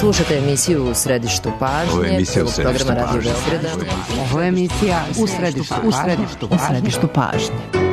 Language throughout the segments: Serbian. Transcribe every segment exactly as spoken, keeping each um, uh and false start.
Slušate emisiju U središtu pažnje. Ovo je emisija U središtu pažnje. Ovo je emisija U središtu pažnje. U središtu pažnje. U središtu pažnje.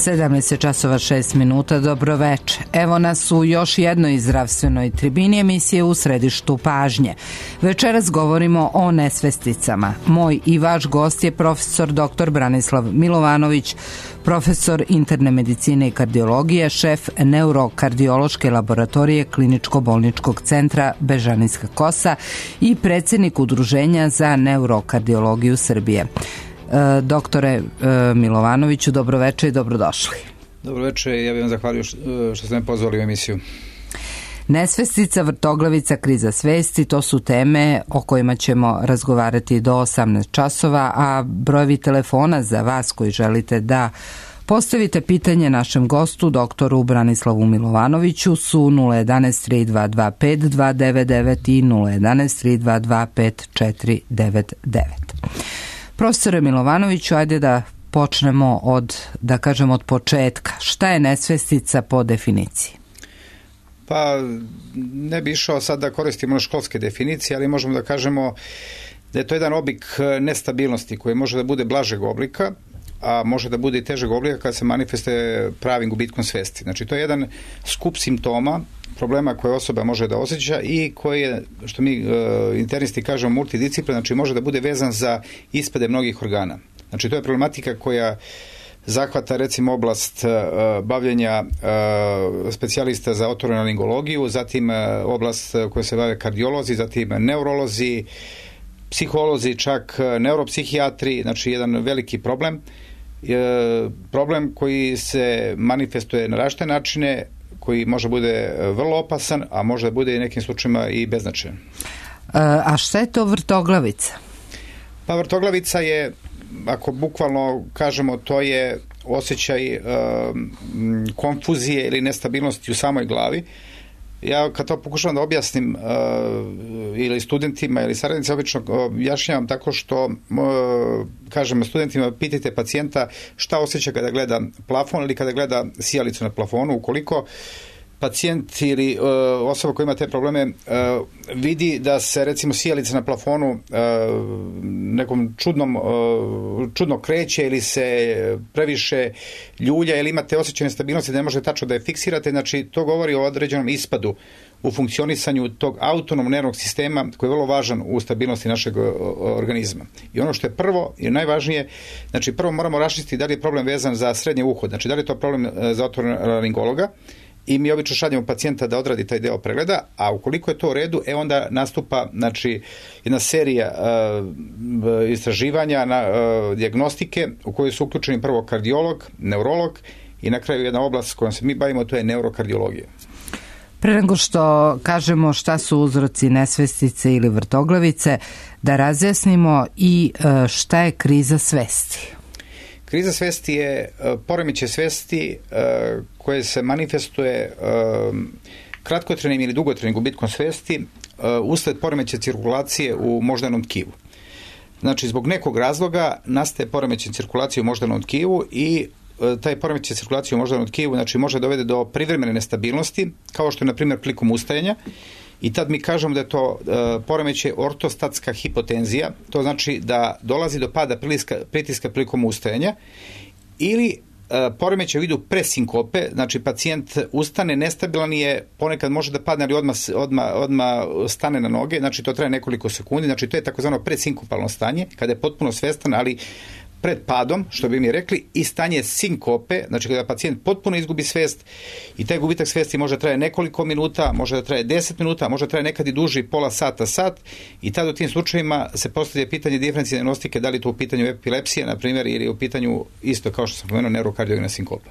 sedamnaest časova šest minuta, dobro veče. Evo nas u još jednoj zdravstvenoj tribini emisije U središtu pažnje. Večeras govorimo o nesvesticama. Moj i vaš gost je profesor doktor Branislav Milovanović, profesor interne medicine i kardiologije, šef neurokardiološke laboratorije Kliničko-bolničkog centra Bežanijska Kosa i predsjednik Udruženja za neurokardiologiju Srbije. Doktore Milovanoviću, dobroveče i dobrodošli. Dobroveče, ja bih vam zahvalio što ste me pozvali u emisiju. Nesvestica, vrtoglavica, kriza svesti, to su teme o kojima ćemo razgovarati do osamnaest časova, a brojevi telefona za vas koji želite da postavite pitanje našem gostu, doktoru Branislavu Milovanoviću, su nula jedanaest tri dva dva pet dva devet devet i nula jedanaest tri dva dva pet četiri devet devet. Profesore Milovanoviću, ajde da počnemo od, da kažem, od početka. Šta je nesvestica po definiciji? Pa, ne bi išao sad da koristimo školske definicije, ali možemo da kažemo da je to jedan oblik nestabilnosti koji može da bude blažeg oblika, a može da bude i težeg oblika kada se manifestuje pravim gubitkom svesti. Znači, to je jedan skup simptoma, problema koje osoba može da osjeća i koji je, što mi uh, internisti kažemo, multidisciplin, znači može da bude vezan za ispade mnogih organa. Znači, to je problematika koja zahvata recimo oblast uh, bavljenja uh, specijalista za otorinolaringologiju, zatim uh, oblast koja se bave kardiolozi, zatim neurolozi, psiholozi, čak neuropsihijatri, znači jedan veliki problem. E, problem koji se manifestuje na različite načine, koji može bude vrlo opasan, a može da bude i nekim slučajima i beznačajan. E, a šta je to vrtoglavica? Pa vrtoglavica je, ako bukvalno kažemo, to je osjećaj e, konfuzije ili nestabilnosti u samoj glavi. Ja kad to pokušavam da objasnim uh, ili studentima ili saradnicima, obično objašnjavam tako što uh, kažem studentima, pitajte pacijenta šta osjeća kada gleda plafon ili kada gleda sijalicu na plafonu. Ukoliko pacijent ili uh, osoba koja ima te probleme uh, vidi da se recimo sijalica na plafonu uh, nekom čudnom uh, čudno kreće ili se previše ljulja ili imate osjećaj nestabilnosti da ne može tačno da je fiksirate, znači to govori o određenom ispadu u funkcionisanju tog autonomnog nervnog sistema koji je vrlo važan u stabilnosti našeg organizma. I ono što je prvo i najvažnije, znači prvo moramo raščistiti da li je problem vezan za srednje uho, znači da li je to problem za otorinolaringologa, i mi obično šaljemo pacijenta da odradi taj deo pregleda, a ukoliko je to u redu, e onda nastupa, znači, jedna serija uh, istraživanja, na, uh, dijagnostike u kojoj su uključeni prvo kardiolog, neurolog i na kraju jedna oblast s kojom se mi bavimo, to je neurokardiologija. Pre nego što kažemo šta su uzroci nesvestice ili vrtoglavice, da razjasnimo i uh, šta je kriza svesti. Kriza svesti je uh, poremećaj svesti uh, koje se manifestuje uh, kratkotrajnim ili dugotrajnim gubitkom svesti uh, usled poremećaja cirkulacije u moždanom tkivu. Znači, zbog nekog razloga nastaje poremećaj cirkulacije u moždanom tkivu i uh, taj poremećaj cirkulacije u moždanom tkivu, znači, može dovede do privremene nestabilnosti, kao što je, na primjer, prilikom ustajanja. I tad mi kažemo da je to uh, poremećaj ortostatska hipotenzija, to znači da dolazi do pada pritiska, pritiska prilikom ustajanja, ili uh, poremećaj u vidu presinkope, znači pacijent ustane, nestabilan je, ponekad može da padne, ali odmah, odmah, odmah stane na noge, znači to traje nekoliko sekundi, znači to je takozvano presinkopalno stanje, kada je potpuno svestan, ali pred padom, što bi mi rekli, i stanje sinkope, znači kada pacijent potpuno izgubi svest i taj gubitak svesti može da traje nekoliko minuta, može da traje deset minuta, može da traje nekad i duži, pola sata, sat, i tada u tim slučajevima se postavlja pitanje diferencijalne dijagnostike, da li to u pitanju epilepsije, na primjer, ili u pitanju isto kao što sam pomenuo neurokardiogena sinkopa.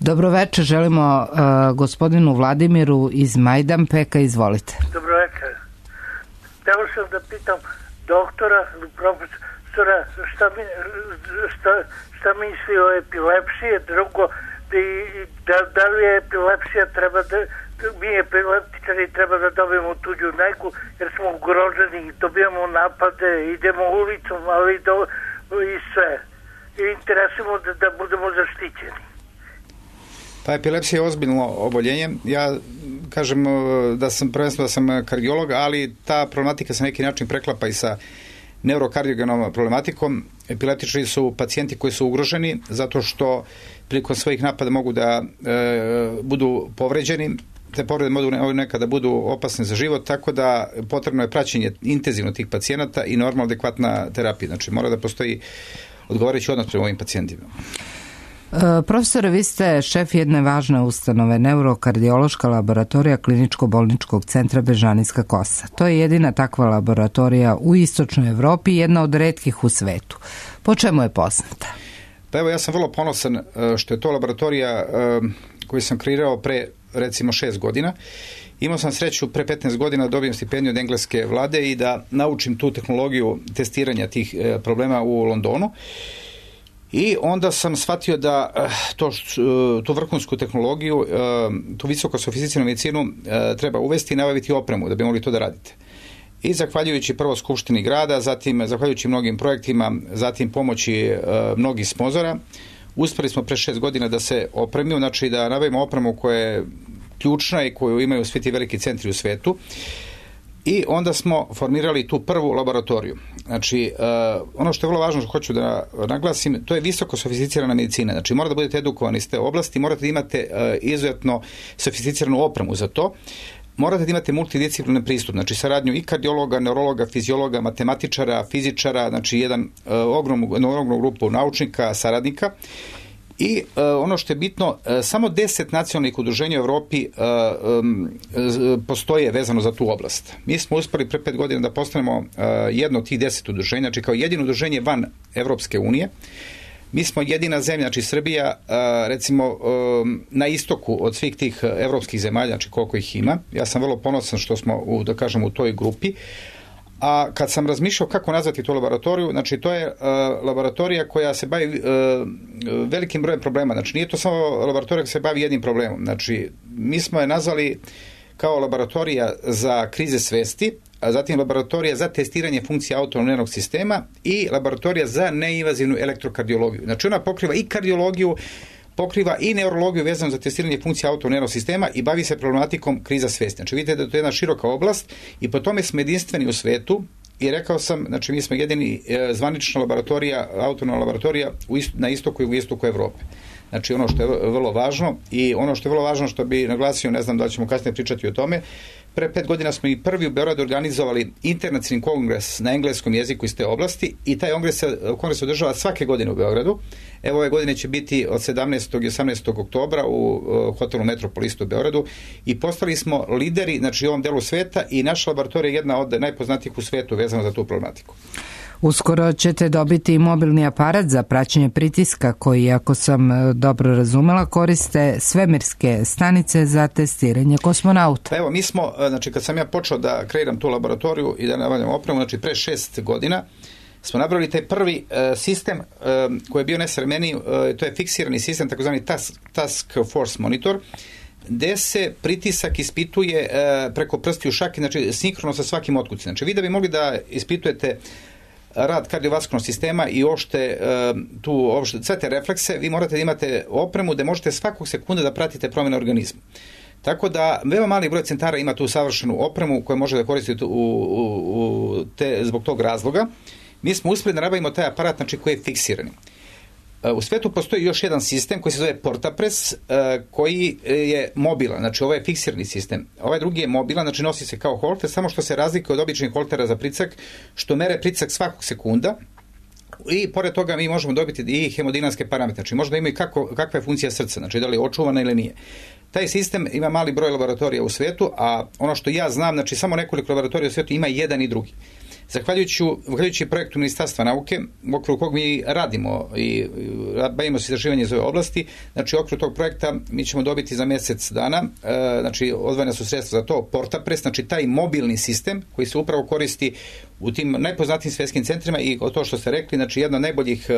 Dobroveče, želimo uh, gospodinu Vladimiru iz Majdanpeka, izvolite. Dobroveče. Hteo sam da pitam doktora, profesora, šta, mi, šta, šta misli o epilepsiji, drugo, da, da li je epilepsija treba da, mi epileptičari treba da dobijemo tuđu negu, jer smo ugroženi, dobijamo napade, idemo ulicom, ali do, i sve. I interesujemo da, da budemo zaštićeni. Pa epilepsija je ozbiljno oboljenje. Ja kažem da sam prvenstveno da sam kardiolog, ali ta problematika se na neki način preklapa i sa neurokardiogenom problematikom. Epileptičari su pacijenti koji su ugroženi zato što prilikom svojih napada mogu da e, budu povređeni, te povrede mogu nekada budu opasne za život, tako da potrebno je praćenje intenzivno tih pacijenata i normalno adekvatna terapija. Znači mora da postoji odgovarajući odnos prema ovim pacijentima. Profesore, vi ste šef jedne važne ustanove, neurokardiološka laboratorija Kliničko-bolničkog centra Bežanijska Kosa. To je jedina takva laboratorija u istočnoj Evropi i jedna od retkih u svetu. Po čemu je poznata? Pa evo, ja sam vrlo ponosan što je to laboratorija koju sam kreirao pre recimo šest godina. Imao sam sreću pre petnaest godina da dobijem stipendiju od engleske vlade i da naučim tu tehnologiju testiranja tih problema u Londonu. I onda sam shvatio da to, tu vrhunsku tehnologiju, tu visoko sofisticiranu medicinu treba uvesti i nabaviti opremu da bi mogli to da radite. I zahvaljujući prvo Skupštini grada, zatim zahvaljujući mnogim projektima, zatim pomoći mnogih sponzora, uspeli smo pre šest godina da se opremimo, znači da nabavimo opremu koja je ključna i koju imaju svi ti veliki centri u svetu. I onda smo formirali tu prvu laboratoriju. Znači, uh, ono što je vrlo važno što hoću da naglasim, to je visoko sofisticirana medicina. Znači, morate da budete edukovani iz te oblasti, morate da imate uh, izuzetno sofisticiranu opremu za to. Morate da imate multidisciplinarni pristup, znači saradnju i kardiologa, neurologa, fiziologa, matematičara, fizičara, znači jedan uh, ogromnu, ogromnu grupu naučnika, saradnika. I uh, ono što je bitno, uh, samo deset nacionalnih udruženja u Evropi uh, um, postoje vezano za tu oblast. Mi smo uspeli pre pet godina da postanemo uh, jedno od tih deset udruženja, znači kao jedino udruženje van Evropske unije. Mi smo jedina zemlja, znači Srbija, uh, recimo um, na istoku od svih tih evropskih zemalja, znači koliko ih ima. Ja sam vrlo ponosan što smo, u, da kažem, u toj grupi. A kad sam razmišljao kako nazvati tu laboratoriju, znači to je uh, laboratorija koja se bavi uh, velikim brojem problema. Znači nije to samo laboratorija koja se bavi jednim problemom. Znači mi smo je nazvali kao laboratorija za krize svesti, a zatim laboratorija za testiranje funkcije autonomnog nervnog sistema i laboratorija za neinvazivnu elektrokardiologiju. Znači ona pokriva i kardiologiju, pokriva i neurologiju vezano za testiranje funkcije autonomnog nervnog sistema i bavi se problematikom kriza svesti. Znači vidite da to je jedna široka oblast i po tome smo jedinstveni u svetu i rekao sam, znači mi smo jedini e, zvanična laboratorija, autonomna laboratorija u ist, na istoku i u istoku Evrope. Znači ono što je vrlo važno i ono što je vrlo važno što bi naglasio, ne znam da ćemo kasnije pričati o tome, pre pet godina smo i prvi u Beogradu organizovali internacionalni kongres na engleskom jeziku iz te oblasti i taj kongres se, kongres se održava svake godine u Beogradu. Evo ove godine će biti od sedamnaestog i osamnaestog oktobra u uh, hotelu Metropolis u Beogradu i postali smo lideri, znači u ovom delu sveta i naša laboratorija je jedna od najpoznatijih u svetu vezano za tu problematiku. Uskoro ćete dobiti i mobilni aparat za praćenje pritiska koji, ako sam dobro razumela, koriste svemirske stanice za testiranje kosmonauta. Pa evo, mi smo, znači kad sam ja počeo da kreiram tu laboratoriju i da nabavljam opremu, znači pre šest godina, smo napravili taj prvi uh, sistem uh, koji je bio nesavremeniji, uh, to je fiksirani sistem, takozvani task, task force monitor, gde se pritisak ispituje uh, preko prstiju šake, znači sinkrono sa svakim otkucem. Znači vi da bi mogli da ispitujete rad kardiovaskularnog sistema i ošte tu opšte, sve te reflekse, vi morate da imate opremu da možete svakog sekunda da pratite promjene organizma. Tako da veoma mali broj centara ima tu savršenu opremu koju može da koristite u, u, u te, zbog tog razloga. Mi smo uspeli da nabavimo taj aparat, znači koji je fiksirani. U svetu postoji još jedan sistem koji se zove Portapress, koji je mobilan, znači ovo je fiksirani sistem. Ovaj drugi je mobilan, znači nosi se kao holter, samo što se razlikuje od običnih holtera za pricak, što mere pricak svakog sekunda i pored toga mi možemo dobiti i hemodinamske parametre, znači možda ima i kako, kakva je funkcija srca, znači da li je očuvana ili nije. Taj sistem ima mali broj laboratorija u svetu, a ono što ja znam, znači samo nekoliko laboratorija u svetu ima jedan i drugi. Zahvaljujući, zahvaljujući projektu Ministarstva nauke, u okviru kog mi radimo i bavimo se istraživanjem iz ove oblasti, znači u okviru tog projekta mi ćemo dobiti za mjesec dana, znači odvojena su sredstva za to, Portapres, znači taj mobilni sistem koji se upravo koristi u tim najpoznatijim svjetskim centrima i o to što ste rekli, znači jedna od najboljih,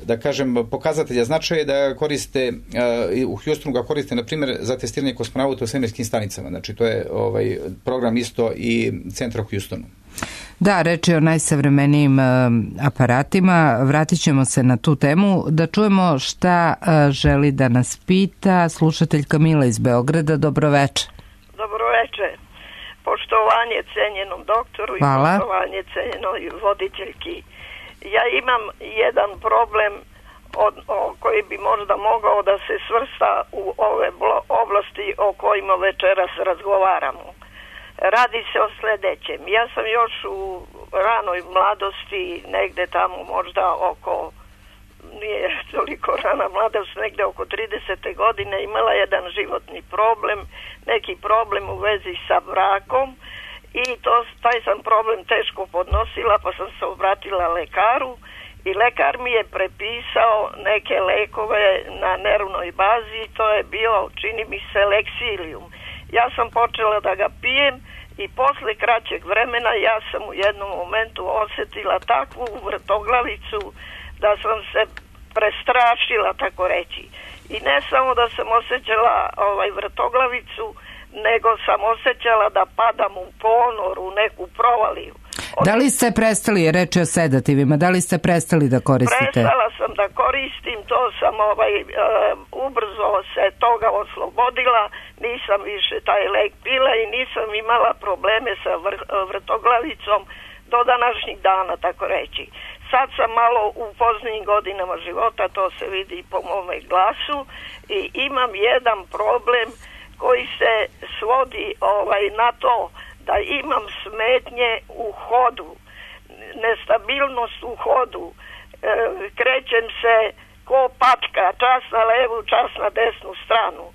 da kažem, pokazatelja značaja je da koriste, uh, u Houstonu ga koriste, na primjer, za testiranje kosmonauta u svemirskim stanicama. Znači, to je ovaj program isto i centra u Houstonu. Da, reč je o najsavremenijim uh, aparatima. Vratit ćemo se na tu temu. Da čujemo šta uh, želi da nas pita slušatelj Kamila iz Beograda. Dobroveče. Dobroveče. Poštovanje cenjenom doktoru. Hvala. I poštovanje cenjenoj voditeljki. Ja imam jedan problem od, o, koji bi možda mogao da se svrsta u ove oblasti o kojima večeras razgovaramo. Radi se o sljedećem. Ja sam još u ranoj mladosti, negde tamo možda oko, nije toliko rana mladost, negde oko tridesete godine imala jedan životni problem, neki problem u vezi sa brakom. I to, taj sam problem teško podnosila, pa sam se obratila lekaru i lekar mi je prepisao neke lekove na nervnoj bazi, to je bio, čini mi se, Lexilium. Ja sam počela da ga pijem i posle kraćeg vremena ja sam u jednom momentu osjetila takvu vrtoglavicu da sam se prestrašila, tako reći. I ne samo da sam osjećala ovaj vrtoglavicu, nego sam osjećala da padam u ponor, u neku provaliju. Od... Da li ste prestali, reći o sedativima, da li ste prestali da koristite? Prestala sam da koristim, to sam ovaj, e, ubrzo se toga oslobodila, nisam više taj lek pila i nisam imala probleme sa vr, vrtoglavicom do današnjih dana, tako reći. Sad sam malo u poznijim godinama života, to se vidi po mome glasu i imam jedan problem koji se svodi ovaj na to da imam smetnje u hodu, nestabilnost u hodu, e, krećem se ko patka, čas na levu, čas na desnu stranu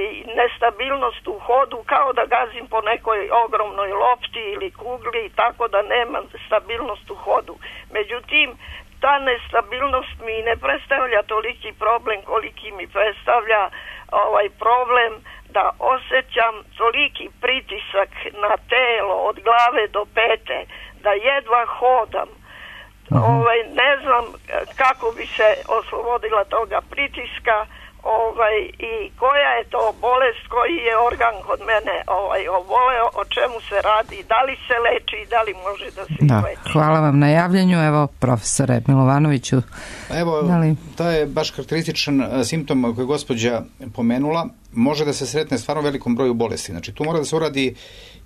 i nestabilnost u hodu kao da gazim po nekoj ogromnoj lopti ili kugli, tako da nemam stabilnost u hodu. Međutim, ta nestabilnost mi ne predstavlja toliki problem koliki mi predstavlja ovaj problem da osjećam toliki pritisak na telo od glave do pete, da jedva hodam. Uh-huh. Ovaj, ne znam kako bi se oslobodila toga pritiska, ovaj, i koja je to bolest, koji je organ kod mene ovaj, oboleo, o čemu se radi, da li se leči, da li može da se da, leči. Hvala vam na javljanju. Evo, profesore Milovanoviću. Evo, da li... to je baš karakterističan simptom koji je gospođa pomenula. Može da se sretne stvarno velikom broju bolesti. Znači, tu mora da se uradi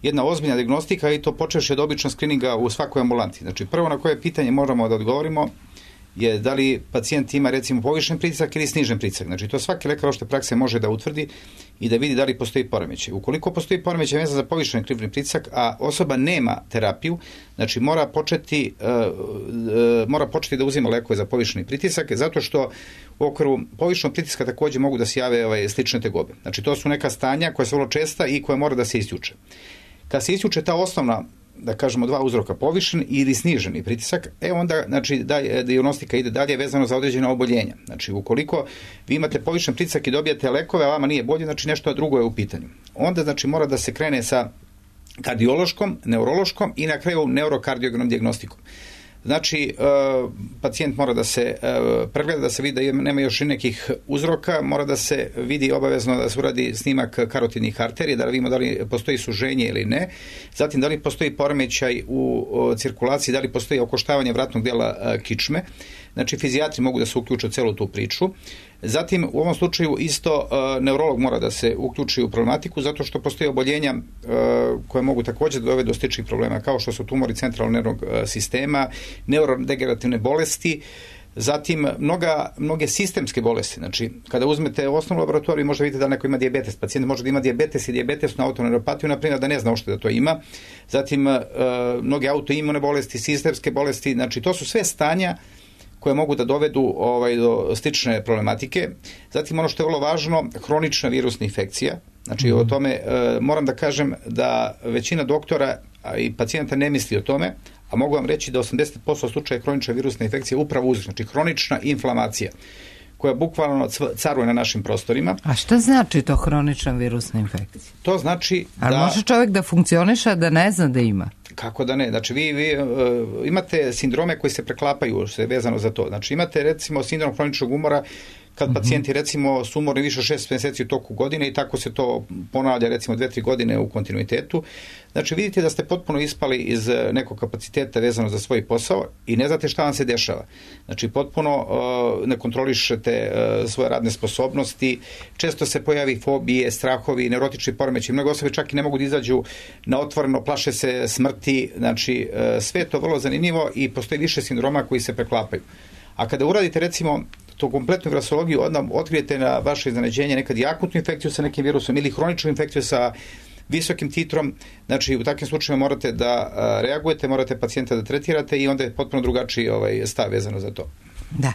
jedna ozbiljna dijagnostika i to počevši od običnog skrininga u svakoj ambulanti. Znači, prvo na koje pitanje moramo da odgovorimo je da li pacijent ima recimo povišen pritisak ili snižen pritisak. Znači, to svaki lekar opšte prakse može da utvrdi i da vidi da li postoji poremećaj. Ukoliko postoji poremećaj vezan za povišen krvni pritisak, a osoba nema terapiju, znači mora početi, uh, uh, mora početi da uzima lekove za povišeni pritisak, zato što u okviru povišenog pritiska također mogu da se jave ovaj, slične tegobe. Znači, to su neka stanja koja su vrlo česta i koja mora da se isključe. Kad se isključe ta osnovna, da kažemo, dva uzroka, povišen ili sniženi pritisak, e onda, znači, da, dijagnostika ide dalje vezano za određena oboljenja. Znači, ukoliko vi imate povišen pritisak i dobijate lekove, a vama nije bolje, znači nešto drugo je u pitanju. Onda, znači, mora da se krene sa kardiološkom, neurološkom i na kraju neurokardiogramom dijagnostikom. Znači, e, pacijent mora da se e, pregleda, da se vidi da nema još i nekih uzroka, mora da se vidi obavezno da se uradi snimak karotidnih arterija, da vidimo da li postoji suženje ili ne, zatim da li postoji poremećaj u o, cirkulaciji, da li postoji okoštavanje vratnog dijela e, kičme. Znači, fizijatri mogu da se uključe u celu tu priču. Zatim, u ovom slučaju isto e, neurolog mora da se uključi u problematiku, zato što postoje oboljenja e, koje mogu također da dovede do sličnih problema, kao što su tumori centralnog nervnog e, sistema, neurodegenerativne bolesti, zatim mnoga, mnoge sistemske bolesti. Znači, kada uzmete osnovnu laboratoriju, možda vidite da neko ima dijabetes. Pacijent može da ima dijabetes i diabetesnu autoneuropatiju, na primjer, da ne zna uopšte da to ima. Zatim, e, mnoge autoimune bolesti, sistemske bolesti, znači to su sve stanja koje mogu da dovedu ovaj, do slične problematike. Zatim, ono što je vrlo važno, hronična virusna infekcija. Znači, mm. o tome e, moram da kažem da većina doktora i pacijenta ne misli o tome, a mogu vam reći da osamdeset posto slučaja kronične virusne infekcije upravo uzrok, znači hronična inflamacija koja bukvalno caruje na našim prostorima. A šta znači to hronična virusna infekcija? To znači da... Ali može čovjek da funkcioniše, da ne zna da ima? Kako da ne? Znači, vi, vi uh, imate sindrome koji se preklapaju se vezano za to. Znači, imate, recimo, sindrom hroničnog umora kad mm-hmm. pacijenti, recimo, su umorni više od šest mjeseci u toku godine i tako se to ponavlja, recimo, dve, tri godine u kontinuitetu. Znači, vidite da ste potpuno ispali iz nekog kapaciteta vezano za svoj posao i ne znate šta vam se dešava. Znači, potpuno uh, ne kontrolišete uh, svoje radne sposobnosti, često se pojavi fobije, strahovi, neurotični poremećaji. Mnogo osobe čak i ne mogu da izađu na otvoreno, plaše se smrti. Znači, uh, sve je to vrlo zanimljivo i postoji više sindroma koji se preklapaju. A kada uradite, recimo, tu kompletnu virusologiju, onda otkrijete na vaše iznenađenje nekad i akutnu infekciju sa nekim virusom ili hroničnu infekciju sa visokim titrom. Znači, u takvim slučajevima morate da a, reagujete, morate pacijenta da tretirate i onda je potpuno drugačiji ovaj, stav vezano za to. Da.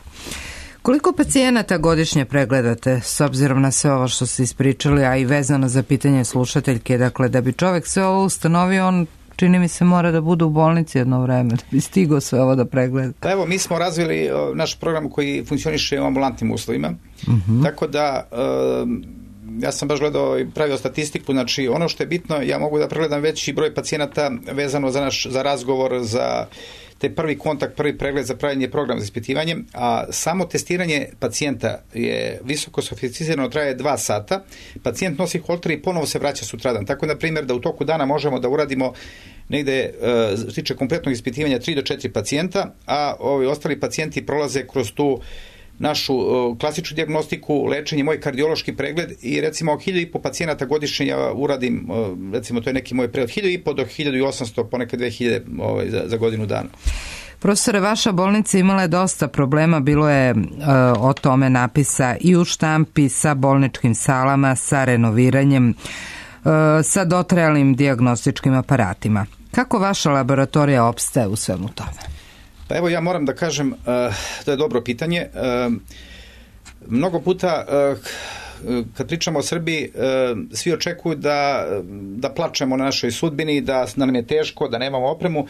Koliko pacijenata godišnje pregledate, s obzirom na sve ovo što ste ispričali, a i vezano za pitanje slušateljke, dakle, da bi čovjek sve ovo ustanovio, on čini mi se mora da bude u bolnici jedno vreme, da bi stigao sve ovo da pregleda. Pa evo, mi smo razvili o, naš program koji funkcioniše u ambulantnim uslovima, uh-huh. tako da e, ja sam baš gledao i pravio statistiku, znači ono što je bitno, ja mogu da pregledam veći broj pacijenata vezano za naš za razgovor, za te prvi kontakt, prvi pregled, za pravljenje programa za ispitivanje, a samo testiranje pacijenta je visoko sofisticirano, traje dva sata, pacijent nosi holter i ponovo se vraća sutradan. Tako, na primjer, da u toku dana možemo da uradimo negde, što se tiče kompletnog ispitivanja, tri do četiri pacijenta, a ovi ostali pacijenti prolaze kroz tu našu uh, klasičnu dijagnostiku, lečenje, moj kardiološki pregled i recimo hiljadu i po pacijenata godišnje ja uradim, uh, recimo to je neki moj pregled, hiljadu i po do hiljadu i osamsto, ponekad dve hiljade ovaj, za, za godinu dana. Profesore, vaša bolnica imala je dosta problema, bilo je uh, o tome napisa i u štampi, sa bolničkim salama, sa renoviranjem, uh, sa dotrajalim dijagnostičkim aparatima. Kako vaša laboratorija opstaje u svemu tome? Pa evo, ja moram da kažem, uh, to je dobro pitanje. Uh, mnogo puta uh, kad pričamo o Srbiji, uh, svi očekuju da, da plačemo na našoj sudbini, da nam je teško, da nemamo opremu.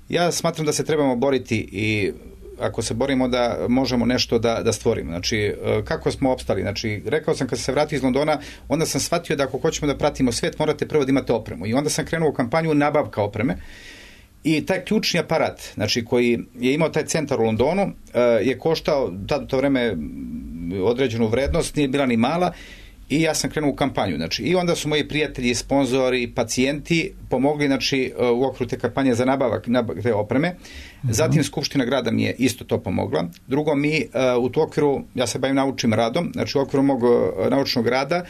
Ja smatram da se trebamo boriti i ako se borimo da možemo nešto da, da stvorimo. Znači, uh, kako smo opstali? Znači, rekao sam kad sam se vratio iz Londona, onda sam shvatio da ako hoćemo da pratimo svet, morate prvo da imate opremu. I onda sam krenuo u kampanju nabavka opreme. I taj ključni aparat, znači, koji je imao taj centar u Londonu, je koštao tad u to vreme određenu vrednost, nije bila ni mala, i ja sam krenuo u kampanju. Znači, i onda su moji prijatelji, sponzori, pacijenti pomogli, znači, u okviru te kampanje za nabavak, nabavak te opreme. Mm-hmm. Zatim Skupština grada mi je isto to pomogla. Drugo, mi u tu okviru, ja se bavim naučnim radom, znači u okviru mog naučnog rada,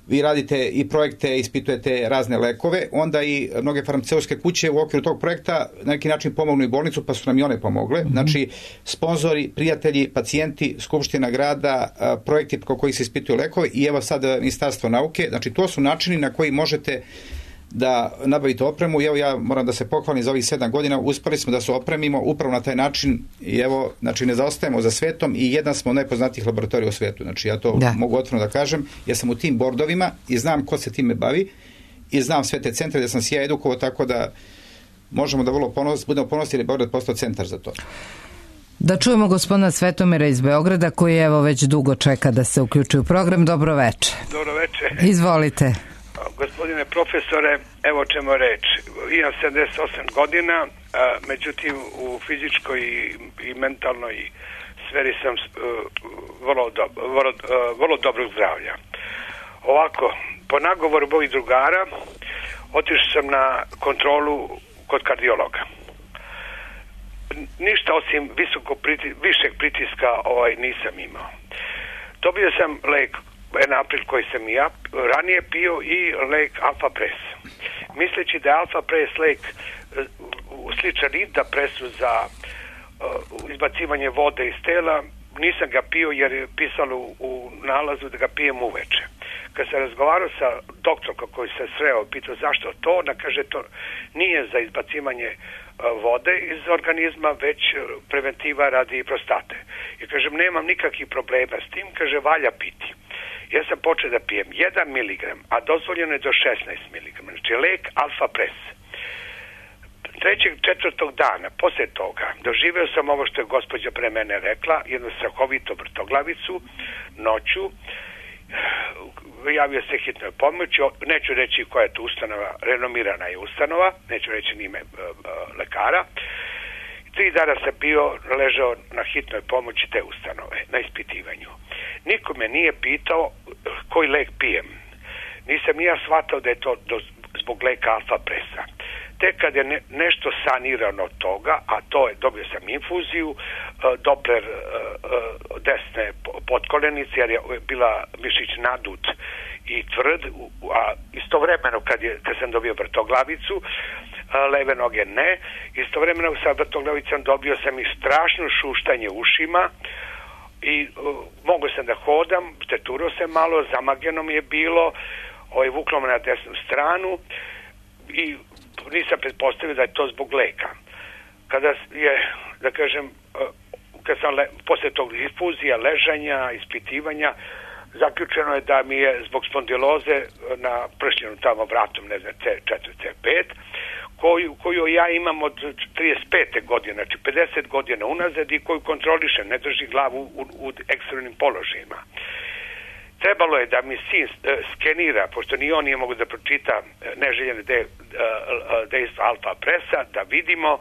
vi radite i projekte, ispitujete razne lekove, onda i mnoge farmaceutske kuće u okviru tog projekta na neki način pomognu i bolnicu, pa su nam i one pomogle. Mm-hmm. Znači, sponzori, prijatelji, pacijenti, Skupština grada, projekti ko koji se ispituju lekove i evo sad Ministarstvo nauke. Znači, to su načini na koji možete da nabavite opremu. I evo, ja moram da se pohvalim za ovih sedam godina, uspeli smo da se opremimo upravo na taj način i evo, znači, ne zaostajemo za svetom i jedan smo od najpoznatijih laboratorija u svetu. Znači, ja to da. mogu otvoreno da kažem. Ja sam u tim bordovima i znam ko se time bavi i znam sve te centre da sam se ja edukovao, tako da možemo da vrlo ponos, budemo ponosni jer je Beograd postao centar za to. Da čujemo gospodina Svetomira iz Beograda, koji evo već dugo čeka da se uključi u program. Dobro veče. Dobro veče. Izvolite. Gospodine profesore, evo čemu reč. Imam sedamdeset osam godina, a, međutim u fizičkoj i, i mentalnoj sferi sam uh, vrlo, do, vrlo, uh, vrlo dobrog zdravlja. Ovako, po nagovoru mojih drugara otišao sam na kontrolu kod kardiologa. Ništa osim visoko priti, višeg pritiska ovaj, nisam imao. Dobio sam lek Enapryl koji sam i ja ranije pio i lek Alfa Pres. Misleći da je Alfa Pres lek sličan Indapresu za uh, izbacivanje vode iz tela, nisam ga pio jer je pisalo u, u nalazu da ga pijem uveče. Kad sam razgovarao sa doktorom koji se sreo, pitao zašto to, ona kaže to nije za izbacivanje uh, vode iz organizma, već preventiva radi prostate. I kažem, nemam nikakvih problema s tim, kaže, valja piti. Ja sam počeo da pijem jedan miligram, a dozvoljeno je do šesnaest miligrama. Znači, lek Alfa Pres. trećeg, četvrtog dana, posle toga, doživeo sam ovo što je gospođa pre mene rekla, jednu strahovitu vrtoglavicu, noću, javio se hitnoj pomoći, neću reći koja je to ustanova, renomirana je ustanova, neću reći ime uh, uh, lekara. Tri dana sam bio ležao na hitnoj pomoći te ustanove, na ispitivanju. Niko me nije pitao koji lek pijem. Nisam ja shvatao da je to do, zbog leka Alfa Presa. Tek kad je ne, nešto sanirano od toga, a to je, dobio sam infuziju, uh, Doppler uh, uh, desne potkolenice, jer je bila mišić nadut i tvrd, a istovremeno kad, je, kad sam dobio vrtoglavicu, leve noge ne, istovremeno sa vrtoglavicom dobio sam i strašno šuštanje ušima i uh, mogo sam da hodam, teturo se malo, zamagljeno mi je bilo, ovaj, vuklo me na desnu stranu i nisam pretpostavio da je to zbog leka. Kada je, da kažem, uh, kad sam le, posle tog infuzija, ležanja, ispitivanja, zaključeno je da mi je zbog spondiloze na pršljenu tamo vratom, ne znam, C četiri C pet, koju, koju ja imam od trideset pete godine, znači pedeset godina unazad i koju kontrolišem, ne drži glavu u, u ekstremnim položajima. Trebalo je da mi sin skenira, pošto ni on nije mogu da pročita neželjene de, dejstva Alfa Presa, da vidimo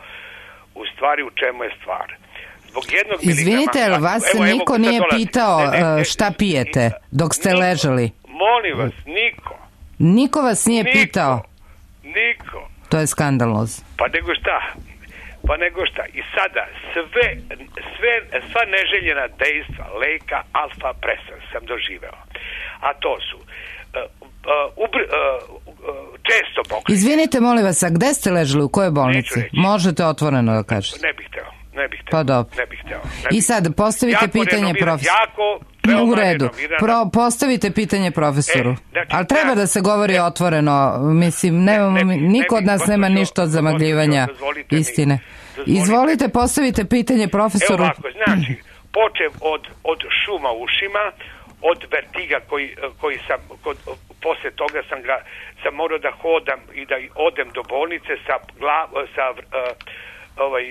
u stvari u čemu je stvar. Izvinite, ali vas se niko nije pitao ne, ne, ne, šta pijete dok ste niko, ležali? Molim vas, niko. Niko vas nije niko, pitao? Niko. To je skandalozno. Pa nego šta? Pa nego šta? I sada sve, sve, sva neželjena dejstva leka Alfa Presa sam doživeo. A to su uh, uh, ubr, uh, uh, često pokrenje. Izvinite, molim vas, a gde ste ležali? U kojoj bolnici? Možete otvoreno da kažete. Ne bih teo. Ne bih teo. Pa dobro. Ne bih teo. I sad postavite jako pitanje profesoru. Jako, u redu. Pro, postavite pitanje profesoru. E, znači, ali treba ja, da se govori ne, otvoreno. Mislim, nemamo, ne, ne, niko od nas nema ništa od zamagljivanja istine. Mi, Izvolite, postavite pitanje profesoru. Evo ovako, znači, počev od, od šuma u ušima, od vertiga koji, koji sam, kod, posle toga sam, ga, sam morao da hodam i da odem do bolnice sa, glav, sa uh, ovaj,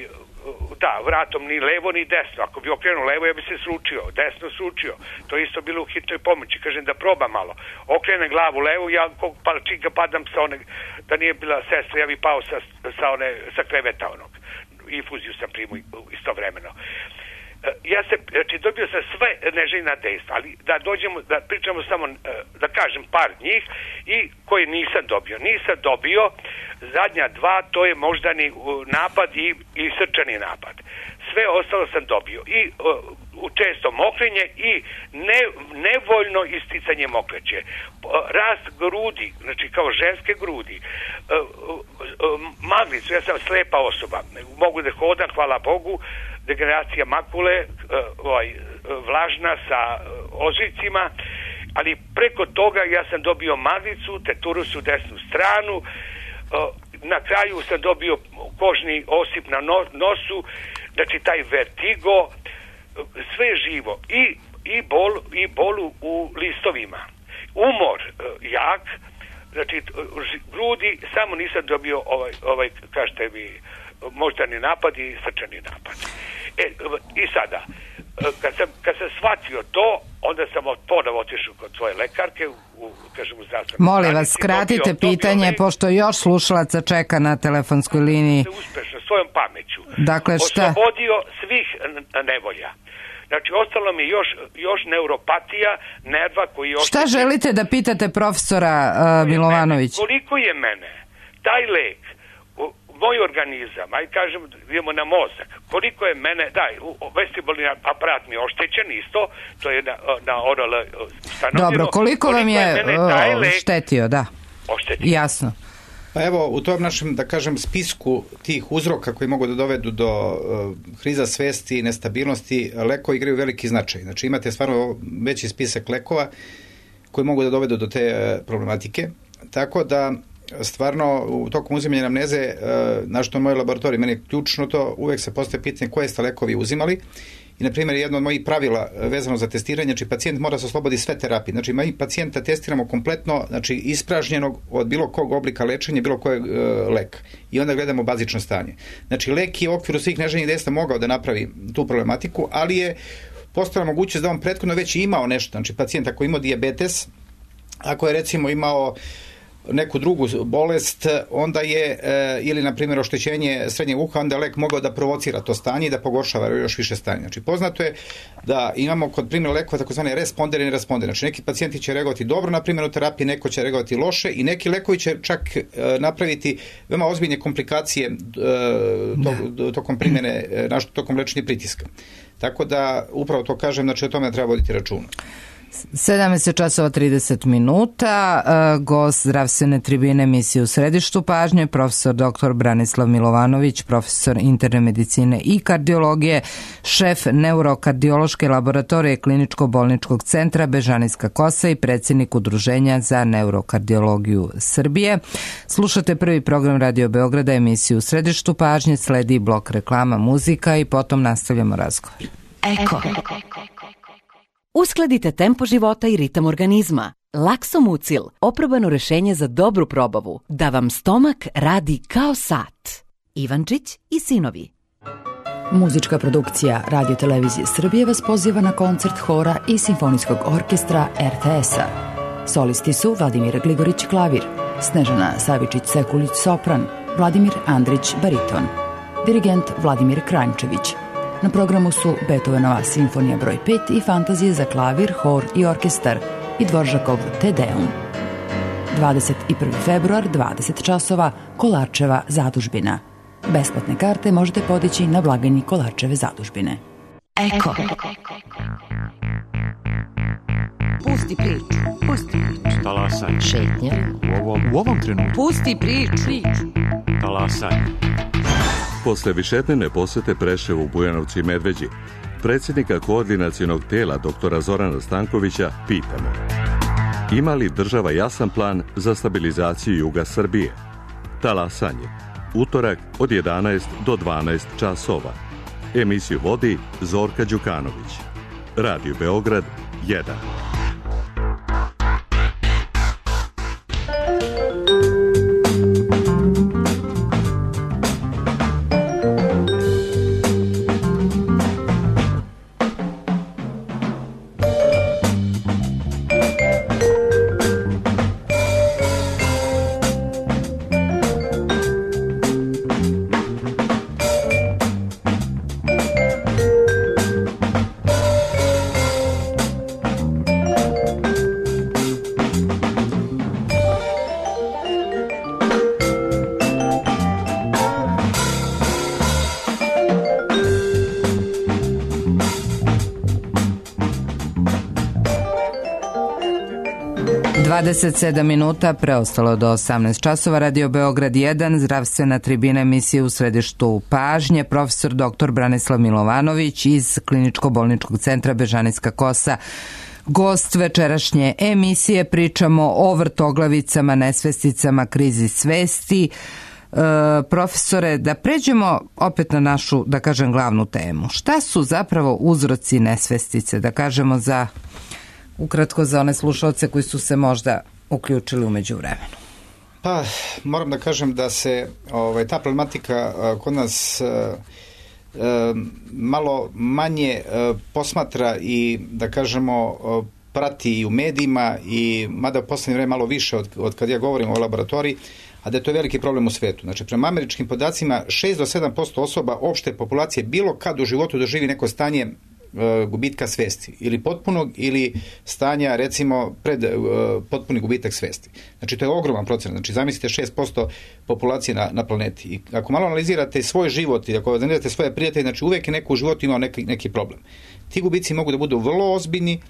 da, vratom ni levo ni desno. Ako bi okrenuo levo, ja bi se sručio, desno sručio. To isto bilo u hitnoj pomoći. Kažem da probam malo. Okrene glavu levo, ja kog palčinka padam sa one, da nije bila sestra, ja bi pao sa, sa, one, sa kreveta onog. Infuziju sam primio istovremeno. Ja se, znači dobio sam sve neželjena dejstva, ali da dođemo, da pričamo samo, da kažem par njih i koje nisam dobio. Nisam dobio zadnja dva, to je moždani napad i, i srčani napad. Sve ostalo sam dobio i uh, često mokrenje i ne, nevoljno isticanje mokreće. Rast grudi, znači kao ženske grudi, uh, uh, uh, maglicu, ja sam slepa osoba, mogu da hodam, hvala Bogu, degeneracija makule, uh, ovaj, vlažna sa uh, ožiljcima, ali preko toga ja sam dobio maglicu, teturus u desnu stranu, uh, na kraju sam dobio kožni osip na no, nosu, znači taj vertigo, sve živo i, i, bol, i bolu u listovima. Umor uh, jak, znači grudi, samo nisam dobio ovaj, ovaj kažete mi, moždani napad i srčani napad. E, i sada, kad sam, kad sam shvatio to, onda sam ponovo otišao kod svoje lekarke, u, kažem, u zdravstvenoj Molim vas, skratite dobio, pitanje, dobio, pošto još slušalaca čeka na telefonskoj liniji. Uspešno, svojom pameću. Dakle, šta? Oslobodio svih nevolja. Znači, ostalo mi još, još neuropatija, nerva koji još... Šta želite da pitate profesora uh, Milovanovića? Koliko je mene taj lek, moj organizam, aj kažem, idemo na mozak, koliko je mene, daj, vestibularni aparat mi je oštećen isto, to je na, na oral stanovljeno. Dobro, koliko, koliko vam je, je lek, štetio, da. Oštetio. Jasno. Pa evo, u tom našem, da kažem, spisku tih uzroka koji mogu da dovedu do uh, kriza svesti i nestabilnosti, lekovi igraju veliki značaj. Znači, imate stvarno veći spisak lekova koji mogu da dovedu do te uh, problematike. Tako da, stvarno, u tokom uzimanja amneze, uh, na što je moj laboratorij, meni je ključno to, uvek se postaje pitanje koje ste lekovi uzimali I, na primjer, jedno od mojih pravila vezano za testiranje, znači pacijent mora se osloboditi sve terapije. Znači, mi pacijenta testiramo kompletno, znači ispražnjenog od bilo kog oblika lečenja, bilo kojeg e, leka. I onda gledamo bazično stanje. Znači, lek je u okviru svih neželjenih dejstva mogao da napravi tu problematiku, ali je postala mogućnost da on prethodno već imao nešto. Znači, pacijent ako imao dijabetes, ako je recimo imao neku drugu bolest, onda je, e, ili na primjer oštećenje srednjeg uha, onda je lek mogao da provocira to stanje i da pogoršava još više stanje. Znači, poznato je da imamo kod primjera lekova takozvane responder i neresponder. Znači, neki pacijenti će reagovati dobro na primjenu terapije, neko će reagovati loše i neki lekovi će čak e, napraviti veoma ozbiljne komplikacije e, to, tokom primjene, e, našto tokom lečenja pritiska. Tako da, upravo to kažem, znači o tome treba voditi računa. sedamnaest časova trideset minuta, gost zdravstvene tribine emisije U središtu pažnje, profesor doktor Branislav Milovanović, profesor interne medicine i kardiologije, šef neurokardiološke laboratorije Kliničko-bolničkog centra Bežanijska Kosa i predsjednik Udruženja za neurokardiologiju Srbije. Slušate prvi program Radio Beograda, emisiju U središtu pažnje, sledi blok reklama, muzika i potom nastavljamo razgovor. Eko. Uskladite tempo života i ritam organizma. Laksomucil, oprobano rešenje za dobru probavu, da vam stomak radi kao sat. Ivančić i sinovi. Muzička produkcija Radio Televizije Srbije vas poziva na koncert hora i simfonijskog orkestra er te es-a. Solisti su Vladimir Gligorić klavir, Snežana Savičić-Sekulić sopran, Vladimir Andrić bariton, dirigent Vladimir Kranjčević. Na programu su Beethovenova simfonija broj pet i fantazije za klavir, hor i orkestar i Dvoržakov Te Deum. dvadeset prvi februar, dvadeset časova, Kolarčeva zadužbina. Besplatne karte možete podići na blagajni Kolarčeve zadužbine. Eko. Pusti priču, pusti priču. Talasanje. Šetnja. U ovom, u ovom trenutku. Pusti priču. Talasanje. Posle višednevne posete Preševu, Bujanovcu i Medveđi, predsjednika koordinacionog tela doktora Zorana Stankovića pitamo: ima li država jasan plan za stabilizaciju juga Srbije? Talasanje. Utorak od jedanaest do dvanaest časova. Emisiju vodi Zorka Đukanović. Radio Beograd jedan. dvadeset sedam minuta, preostalo do osamnaest časova. Radio Beograd jedan, zdravstvena tribina emisije U središtu pažnje, profesor doktor Branislav Milovanović iz Kliničko-bolničkog centra Bežanijska Kosa. Gost večerašnje emisije, pričamo o vrtoglavicama, nesvesticama, krizi svesti. E, profesore, da pređemo opet na našu, da kažem, glavnu temu. Šta su zapravo uzroci nesvestice, da kažemo za ukratko za one slušalce koji su se možda uključili umeđu vremenu? Pa, moram da kažem da se ovaj, ta problematika a, kod nas a, a, malo manje a, posmatra i, da kažemo, a, prati i u medijima, i mada u poslednje vreme malo više od, od kad ja govorim o laboratoriji, a da je to veliki problem u svetu. Znači, prema američkim podacima, šest do sedam posto osoba opšte populacije bilo kad u životu doživi neko stanje gubitka svesti, ili potpunog ili stanja, recimo, pred uh, potpuni gubitak svesti. Znači, to je ogroman procenat. Znači, zamislite šest posto populacije na, na planeti. I ako malo analizirate svoj život i ako analizirate svoje prijatelje, znači uvek je neko u životu imao neki, neki problem. Ti gubici mogu da budu vrlo ozbiljni,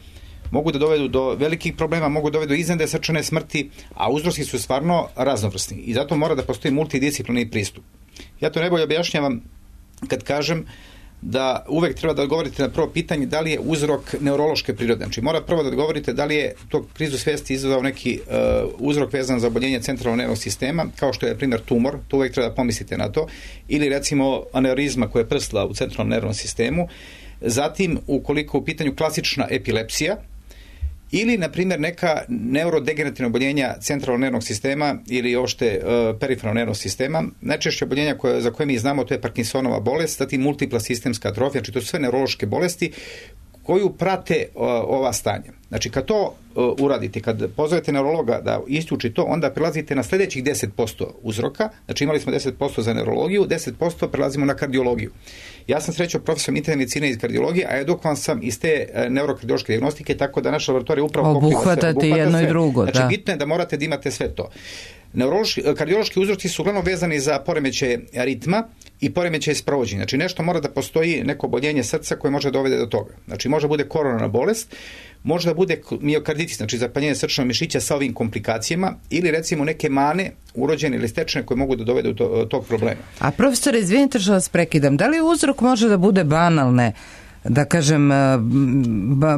mogu da dovedu do velikih problema, mogu da dovedu do iznenadne srčane smrti, a uzroci su stvarno raznovrsni. I zato mora da postoji multidisciplinarni pristup. Ja to najbolje objašnjavam kad kažem da uvek treba da odgovorite na prvo pitanje da li je uzrok neurološke prirode. Znači, mora prvo da odgovorite da li je to krizu svesti izazvao neki uh, uzrok vezan za oboljenje centralnog nervnog sistema, kao što je, primjer, tumor, to uvek treba da pomislite na to, ili recimo aneurizma koja je prsla u centralnom nervnom sistemu, Zatim, ukoliko u pitanju klasična epilepsija, ili, na primjer, neka neurodegenerativna oboljenja centralnog nervnog sistema ili ošte uh, periferalnog nervnog sistema. Najčešće oboljenja koje, za koje mi znamo, to je Parkinsonova bolest, zatim multipla sistemska atrofija, znači to su sve neurološke bolesti koju prate uh, ova stanja. Znači, kad to uh, uradite, kad pozovete neurologa da isključi to, onda prelazite na sljedećih deset posto uzroka. Znači, imali smo deset posto za neurologiju, deset posto prelazimo na kardiologiju. Ja sam srećao profesor interne medicine iz kardiologije, a edukovan sam iz te uh, neurokardiološke dijagnostike, tako da naša laboratorija upravo pokriva sve. Obuhvatate jedno i drugo, znači, da. bitno je da morate da imate sve to. Neurološki, kardiološki uzroci su uglavnom vezani za poremećaje ritma i poremećaje sprovođenja. Znači, nešto mora da postoji neko oboljenje srca koje može dovede do toga. Znači, može bude koronarna bolest, može da bude miokarditis, znači zapaljenje srčanog mišića sa ovim komplikacijama, ili recimo neke mane urođene ili stečene koje mogu da dovedu do tog problema. A profesore, izvinite što vas prekidam, da li uzrok može da bude banalne, da kažem,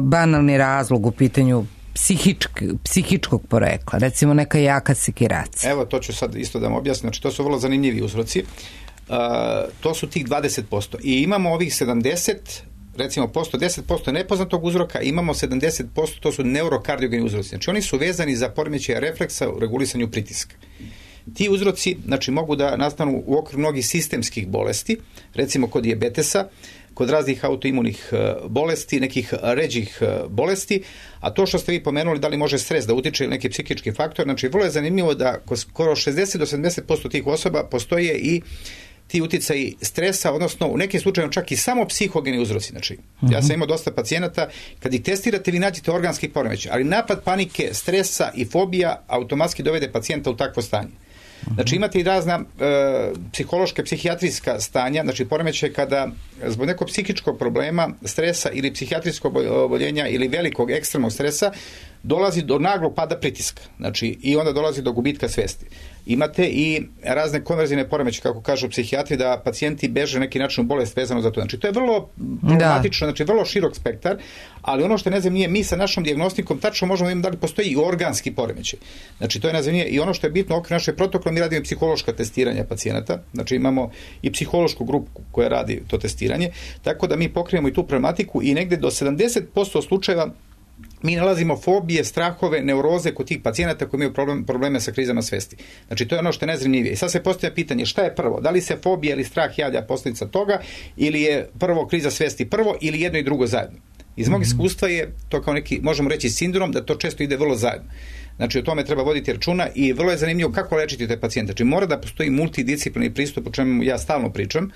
banalni razlog u pitanju psihičk, psihičkog porekla, recimo neka jaka sekiracija? Evo, to ću sad isto da vam objasnim. Znači, to su vrlo zanimljivi uzroci. Uh, to su tih dvadeset posto. I imamo ovih sedamdeset, recimo posto, deset posto nepoznatog uzroka, imamo sedamdeset posto, to su neurokardiogeni uzroci. Znači, oni su vezani za poremećaje refleksa u regulisanju pritiska. Ti uzroci, znači, mogu da nastanu u okviru mnogih sistemskih bolesti, recimo kod dijabetesa, kod raznih autoimunih bolesti, nekih ređih bolesti, a to što ste vi pomenuli, da li može stres da utiče ili neki psihički faktor, znači vrlo je zanimljivo da skoro šezdeset do sedamdeset posto tih osoba postoje i ti uticaji stresa, odnosno u nekim slučajima čak i samo psihogeni uzroci. Znači, uh-huh. ja sam imao dosta pacijenata, kad ih testirate, vi nađete organski poremećaj, ali napad panike, stresa i fobija automatski dovede pacijenta u takvo stanje. Znači, imate i razna e, psihološka, psihijatrijska stanja, znači poremećaj kada zbog nekog psihičkog problema, stresa ili psihijatrijskog oboljenja ili velikog ekstremnog stresa dolazi do naglog pada pritiska. Znači, i onda dolazi do gubitka svesti. Imate i razne konverzivne poremeće, kako kažu psihijatri, da pacijenti beže neki način u bolest vezano za to. Znači, to je vrlo problematično, znači vrlo širok spektar, ali ono što ne znam nije, mi sa našom dijagnostikom tačno možemo imati da li postoji i organski poremećaj. Znači, to je nazivnije i ono što je bitno okvir naše protokole, mi radimo psihološka testiranja pacijenata, znači imamo i psihološku grupu koja radi to testiranje, tako da mi pokrijemo i tu problematiku i negde do sedamdeset posto slučajeva mi nalazimo fobije, strahove, neuroze kod tih pacijenata koji imaju problem, probleme sa krizama svesti. Znači, to je ono što je najzanimljivije. I sad se postavlja pitanje šta je prvo? Da li se fobija ili strah javlja posljedica toga ili je prvo kriza svesti prvo ili jedno i drugo zajedno? Iz mog iskustva je to kao neki, možemo reći, sindrom da to često ide vrlo zajedno. Znači, o tome treba voditi računa i vrlo je zanimljivo kako lečiti te pacijente. Znači, mora da postoji multidisciplinarni pristup, o čemu ja stalno pričam.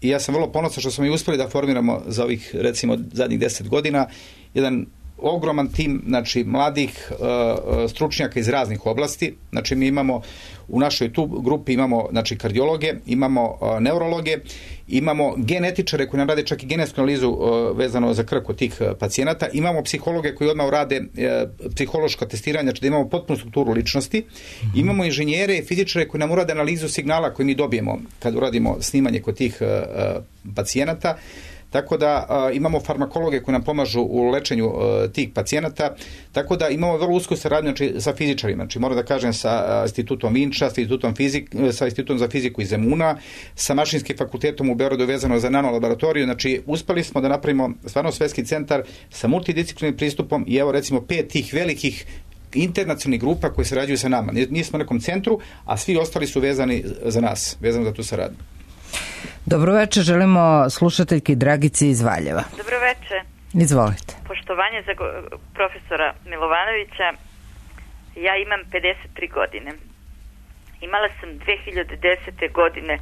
I ja sam vrlo ponosan što smo i uspeli da formiramo za ovih, recimo, zadnjih deset godina jedan ogroman tim, znači, mladih uh, stručnjaka iz raznih oblasti. Znači, mi imamo u našoj tu grupi imamo, znači, kardiologe, imamo uh, neurologe, imamo genetičare koji nam rade čak i genetsku analizu uh, vezano za krv kod tih uh, pacijenata, imamo psihologe koji odmah rade uh, psihološko testiranje, znači da imamo potpunu strukturu ličnosti, mm-hmm. imamo inženjere i fizičare koji nam urade analizu signala koji mi dobijemo kad uradimo snimanje kod tih uh, uh, pacijenata. Tako da a, imamo farmakologe koji nam pomažu u lečenju a, tih pacijenata, tako da imamo vrlo usku saradnju, znači, sa fizičarima, znači moram da kažem sa a, institutom Vinča, sa institutom, fizik, sa institutom za fiziku iz Zemuna, sa Mašinskim fakultetom u Beogradu vezano za nanolaboratoriju, znači uspeli smo da napravimo stvarno svetski centar sa multidisciplinarnim pristupom i evo recimo pet tih velikih internacionalnih grupa koji sarađuju sa nama. Nismo u nekom centru, a svi ostali su vezani za nas, vezano za tu saradnju. Dobro večer, želimo slušateljki Dragici iz Valjeva. Dobro večer. Izvolite. Poštovanje za profesora Milovanovića. Ja imam pedeset tri godine. Imala sam dve hiljade desete. godine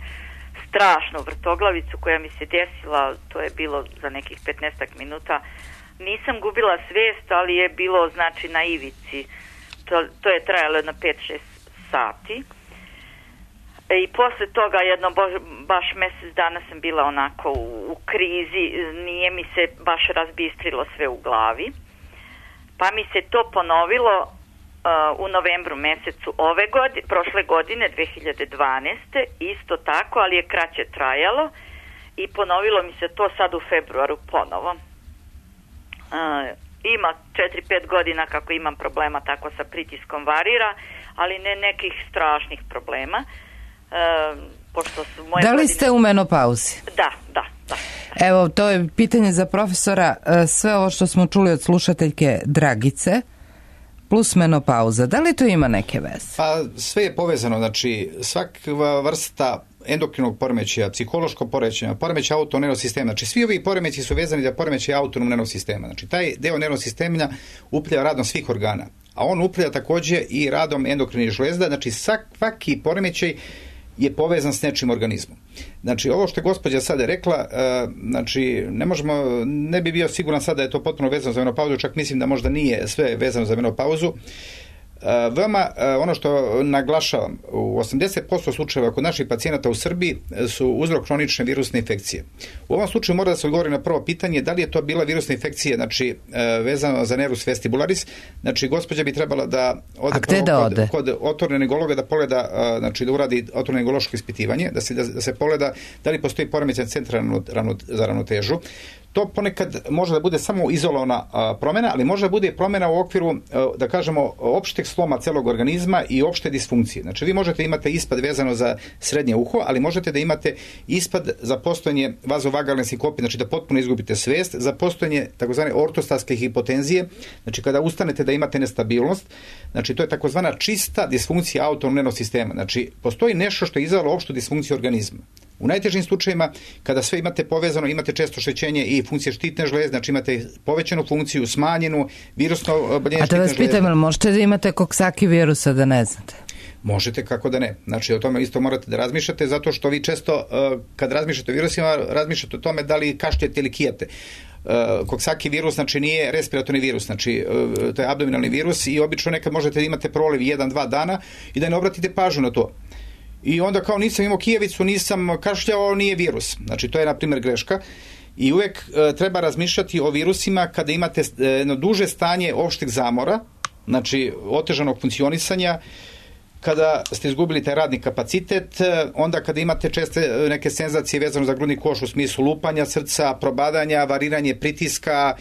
strašnu vrtoglavicu koja mi se desila, to je bilo za nekih petnaest minuta. Nisam gubila svijest, ali je bilo, znači, na ivici. To, to je trajalo na pet šest sati. I posle toga jedno baš mjesec dana sam bila onako u, u krizi, nije mi se baš razbistrilo sve u glavi. Pa mi se to ponovilo uh, u novembru mjesecu ove godine, prošle godine, dve hiljade dvanaeste. Isto tako, ali je kraće trajalo i ponovilo mi se to sad u februaru ponovo. Uh, ima četiri pet godina kako imam problema, tako sa pritiskom varira, ali ne nekih strašnih problema. Uh, pošto su moje da li godine... ste u menopauzi? Da, da. Evo, to je pitanje za profesora. Sve ovo što smo čuli od slušateljke Dragice, plus menopauza, da li to ima neke veze? Pa sve je povezano, znači svaka vrsta endokrinog poremećaja, psihološkog poremećaja, poremećaja autonomnog nervnog sistema, znači svi ovi poremeći su vezani za poremećaj autonomnog nervnog sistema. Znači taj deo nervnog sistema upravlja radom svih organa, a on upravlja takođe i radom endokrinih žlezda, znači svaki poremećaj je povezan s nečim organizmom. Znači, ovo što je gospođa sada rekla, znači, ne možemo, ne bi bio siguran sada da je to potpuno vezano za menopauzu, čak mislim da možda nije sve vezano za menopauzu. Veoma, ono što naglašavam, u osamdeset posto slučajeva kod naših pacijenata u Srbiji su uzrok hronične virusne infekcije. U ovom slučaju mora da se odgovori na prvo pitanje da li je to bila virusna infekcija, znači vezano za nervus vestibularis, znači gospođa bi trebala da ode, prvo da kod, ode? kod otorinolaringa da pogleda, znači da uradi otorinolaringo ispitivanje, da se, da, da se pogleda da li postoji poremećaj centra za ravnotežu. To ponekad može da bude samo izolovana a, promjena, ali može da bude promjena u okviru, a, da kažemo, opšteg sloma celog organizma i opšte disfunkcije. Znači, vi možete imate ispad vezano za srednje uho, ali možete da imate ispad za postojanje vazovagalne sinkope, znači da potpuno izgubite svest, za postojanje takozvane ortostatske hipotenzije, znači kada ustanete da imate nestabilnost, znači to je takozvana čista disfunkcija autonomnog nervnog sistema. Znači, postoji nešto što je izazvalo opštu disfunkciju organizma. U najtežim slučajevima, kada sve imate povezano, imate često oštećenje i funkcije štitne žlezde, znači imate povećanu funkciju, smanjenu, virusno oboljenje štitne žlezde. A da vas pitam, ali možete da imate Coxsackie virusa da ne znate? Možete, kako da ne. Znači, o tome isto morate da razmišljate, zato što vi često, kad razmišljate o virusima, razmišljate o tome da li kašljete ili kijete. Coxsackie virus, znači nije respiratorni virus, znači to je abdominalni virus i obično nekad možete da imate proliv jedan dva dana i da ne obratite pažnju na to. I onda kao nisam imao kijevicu, nisam kašljao, nije virus. Znači to je na primjer greška. I uvek e, treba razmišljati o virusima kada imate jedno duže stanje opšteg zamora, znači otežanog funkcionisanja, kada ste izgubili taj radni kapacitet, onda kada imate česte neke senzacije vezano za grudni koš u smislu lupanja srca, probadanja, variranje pritiska,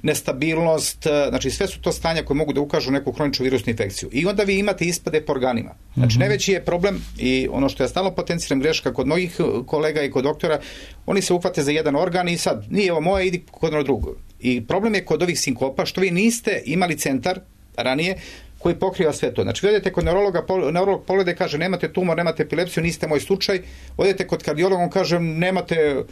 nestabilnost, znači sve su to stanja koje mogu da ukažu neku hroničnu virusnu infekciju. I onda vi imate ispade po organima. Znači najveći je problem i ono što ja stalno potenciram greška kod mnogih kolega i kod doktora, oni se uhvate za jedan organ i sad nije ovo moje, idi kod ono drugo. I problem je kod ovih sinkopa što vi niste imali centar ranije koji pokriva sve to. Znači, vi odete kod neurologa, neurolog pogleda i kaže nemate tumor, nemate epilepsiju, niste moj slučaj. Odete kod kardiologa, on kaže nemate